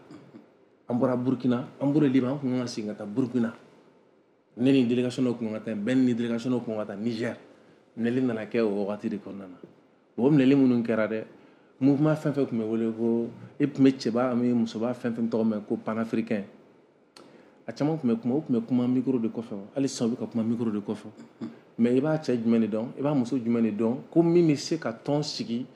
an bɔra Burukina, an bɔra Liban, an kun kan ka segin ka taa Burukina. Ne ni délégation dɔ kun kan ka taa, Ben ni délégation dɔ kun kan ka taa Niger. Minɛli nana kɛ o wagati de kɔnɔna na. O minɛli minnu kɛra dɛ, mouvement fɛn fɛn tun bɛ wele ko e tun bɛ cɛba ani musoba fɛn fɛn tɔgɔ mɛn ko panafricain, a caman tun bɛ kuma, o tun bɛ kuma micro de kɔfɛ. Hali sisan u bɛ ka kuma micro de kɔfɛ. Mais i b'a cɛ jumɛn de dɔn, i b'a muso jumɛn de dɔn ko min bɛ se ka tɔn sigi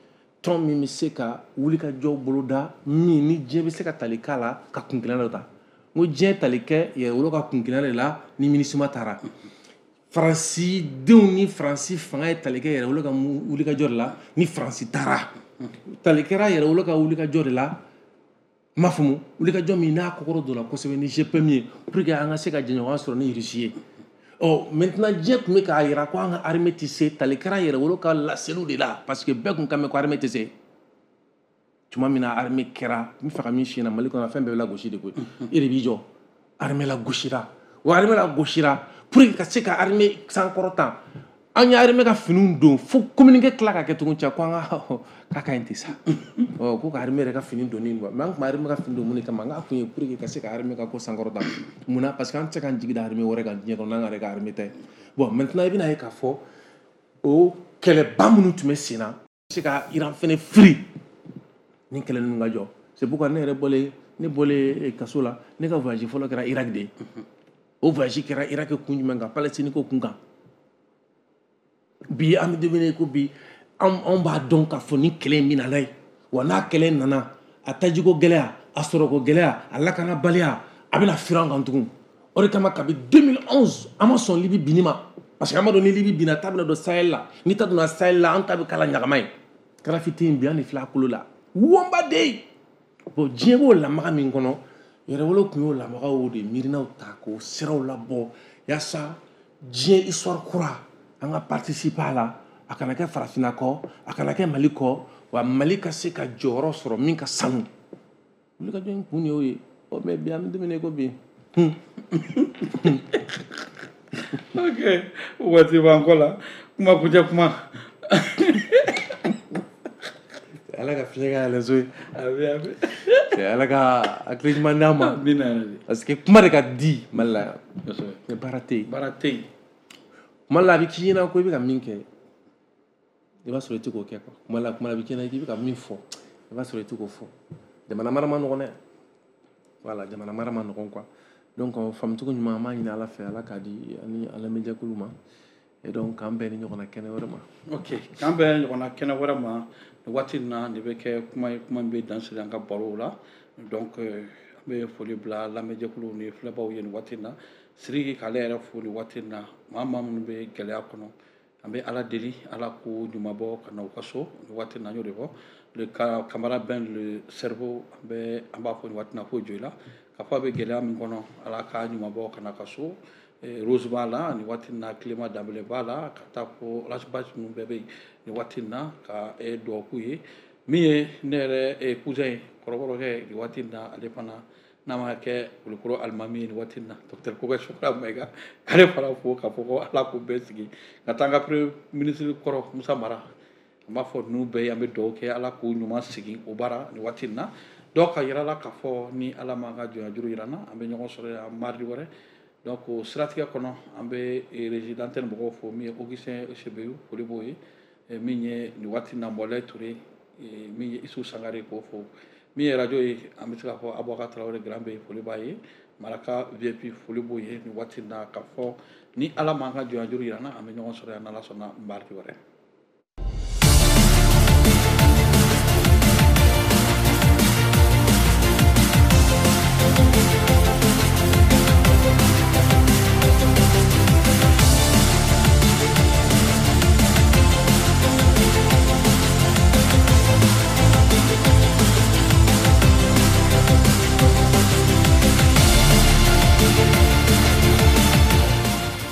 Tɔn min bɛ se ka wulikajɔ boloda min ni diɲɛ bɛ se ka tali k'a la ka kun kelen dɔ ta. N ko diɲɛ tali kɛ yɛrɛwolo ka kun kelen de la ni MINUSMA taara. Faransi denw ni Faransi fanga ye tali kɛ yɛrɛwolo ka wulikajɔ de la ni Faransi taara. Tali kɛra yɛrɛwolo ka wulikajɔ de la n m'a faamu wulikajɔ min n'a kɔkɔrɔ donna kosɛbɛ ni G P M ye pour que an ka se ka jɛɲɔgɔnya sɔrɔ ni Russie ye. Ɔ maintenant diɲɛ tun bɛ k'a jira ko an ka armée tɛ se tali kɛra yɛrɛwolo ka laseliw de la parce que bɛɛ tun kan mɛn ko armée tɛ se. Tuma min na armée kɛra n bɛ fɛ ka min f'i ɲɛna Mali kɔnɔ fɛn bɛɛ bɛ lagosi de koyi. E de b'i jɔ armée lagosira wa armée lagosira pour que ka se ka armée sankɔrɔta an ye armée ka finiw don fo communiqué tila ka kɛ tugun cɛ ko an ka k'a ka ɲi ten sa ɔ ko ka armée yɛrɛ ka fini donni quoi mais an tun bɛ armée ka fini don mun de kama n k'a kun ye pour que ka se ka armée ka ko sankɔrɔta munna parce que an tɛ se k'an jigi da armée wɛrɛ kan diɲɛ kɔnɔ n'an yɛrɛ ka armée tɛ. Bon maintenant i bɛna ye k'a fɔ o kɛlɛba minnu tun bɛ sen na se ka Iran fɛnɛ firi ni kɛlɛ ninnu ka jɔ. C'est pourquoi ne yɛrɛ bɔlen ne bɔlen kaso la ne ka voyage fɔlɔ kɛra Irak de ye. O voyage kɛra Irak kun jumɛn kan? Palestine ko kun kan. Bi an bɛ don min na ko bi anw b'a dɔn k'a fɔ ni kɛlɛ in bɛ na ye wa n'a kɛlɛ nana a tajiko gɛlɛya a sɔrɔko gɛlɛya a lakanabaliya a bɛna firi an kan tugun. O de kama kabi deux mille onze an ma sɔn Libi binni ma parce que an b'a dɔn ni Libi binna ta bɛna don Sahel la ni ta donna Sahel la an ta bɛ k'a la ɲagama ye. Kadhafi tɛ yen bi an de filɛ a kolo la wɔnba de ye. Bon diɲɛ b'o lamaga min kɔnɔ yɛrɛwolo tun y'o lamagaw de miirinaw ta k'o siraw labɔ yaasa diɲɛ histoire kura an ka participer a la a kana kɛ farafinna kɔ a kana kɛ Mali kɔ wa Mali ka se ka jɔyɔrɔ sɔrɔ min ka sanu. Wulikajɔ in kun de y'o ye. Ɔ mais bi an bɛ don min na i ko bi. Ok waati b'an kɔ la kuma kuncɛ kuma. Ala ka fiɲɛ ka yɛlɛn so ye. Ala ka hakili ɲuman d'an ma. Parce que kuma de ka di Mali la yan. Mais baara tɛ yen. Baara tɛ yen. Kuma la a bɛ k'i ɲɛna ko i bɛ ka min kɛ i b'a sɔrɔ i tɛ k'o kɛ quoi. Kuma la kuma la a bɛ k'i ɲɛna k'i bɛ ka min fɔ i b'a sɔrɔ i tɛ k'o fɔ. Jamana mara ma nɔgɔn dɛ. Voilà jamana mara ma nɔgɔn quoi. Donc faamucogo ɲuman an b'a ɲini Ala fɛ Ala k'a di ani an lamɛnjɛkulu ma. Et donc k'an bɛn ni ɲɔgɔnna kɛnɛ wɛrɛ ma. Ok k'an bɛn ɲɔgɔnna kɛnɛ wɛrɛ ma. Nin waati in na nin bɛ kɛ kuma ye kuma min bɛ dan sigi an ka barow la. Donc an bɛ foli bila lamɛnjɛkuluw ni filɛbaw ye nin waati in na. Sidiki k'ale yɛrɛ fo nin waati in na maa maa minnu bɛ gɛlɛya kɔnɔ an bɛ Ala deli Ala k'o ɲuman bɔ ka na u ka so nin waati in na n y'o de fɔ. Le Camara Ben le cerveau an bɛ an b'a fɔ nin waati in na k'o jɔ i la k'a fɔ a bɛ gɛlɛya min kɔnɔ Ala k'a ɲuman bɔ ka na ka so. Rose b'a la nin waati in na Clément Danbele b'a la ka taa fo Ras Bath ninnu bɛɛ bɛ yen nin waati in na ka dugawu k'u ye. Min ye ne yɛrɛ cousin ye kɔrɔbɔrɔkɛ nin waati in na ale fana n'a ma kɛ Kulukɔrɔ alimami ye nin waati in na docteur Kokɛ Sokora Mayiga k'ale fana fo k'a fɔ ko Ala k'u bɛɛ sigi ka taa an ka premier ministre kɔrɔ Musa Mara an b'a fɔ ninnu bɛɛ ye an bɛ dugawu kɛ Ala k'u ɲuman sigi o baara nin waati in na. Donc ka yira la k'a fɔ ni Ala m'an ka jɔnya juru yira n na an bɛ ɲɔgɔn sɔrɔ yan mardi wɛrɛ. Donc o siratigɛ kɔnɔ an bɛ régie d'antenne mɔgɔw fo min ye Augustin Sebeyu foli b'o ye min ye nin waati in na Mɔlɛ Ture min ye Isu Sangare k'o fo min ye radio ye an bɛ se k'a fɔ Abubakar Tarawele Grand bɛ foli b'a ye Maraka V I P foli b'o ye nin waati in na k'a fɔ ni Ala m'an ka jɔnya juru yira n na an bɛ ɲɔgɔn sɔrɔ yan n'Ala sɔnna mardi wɛrɛ.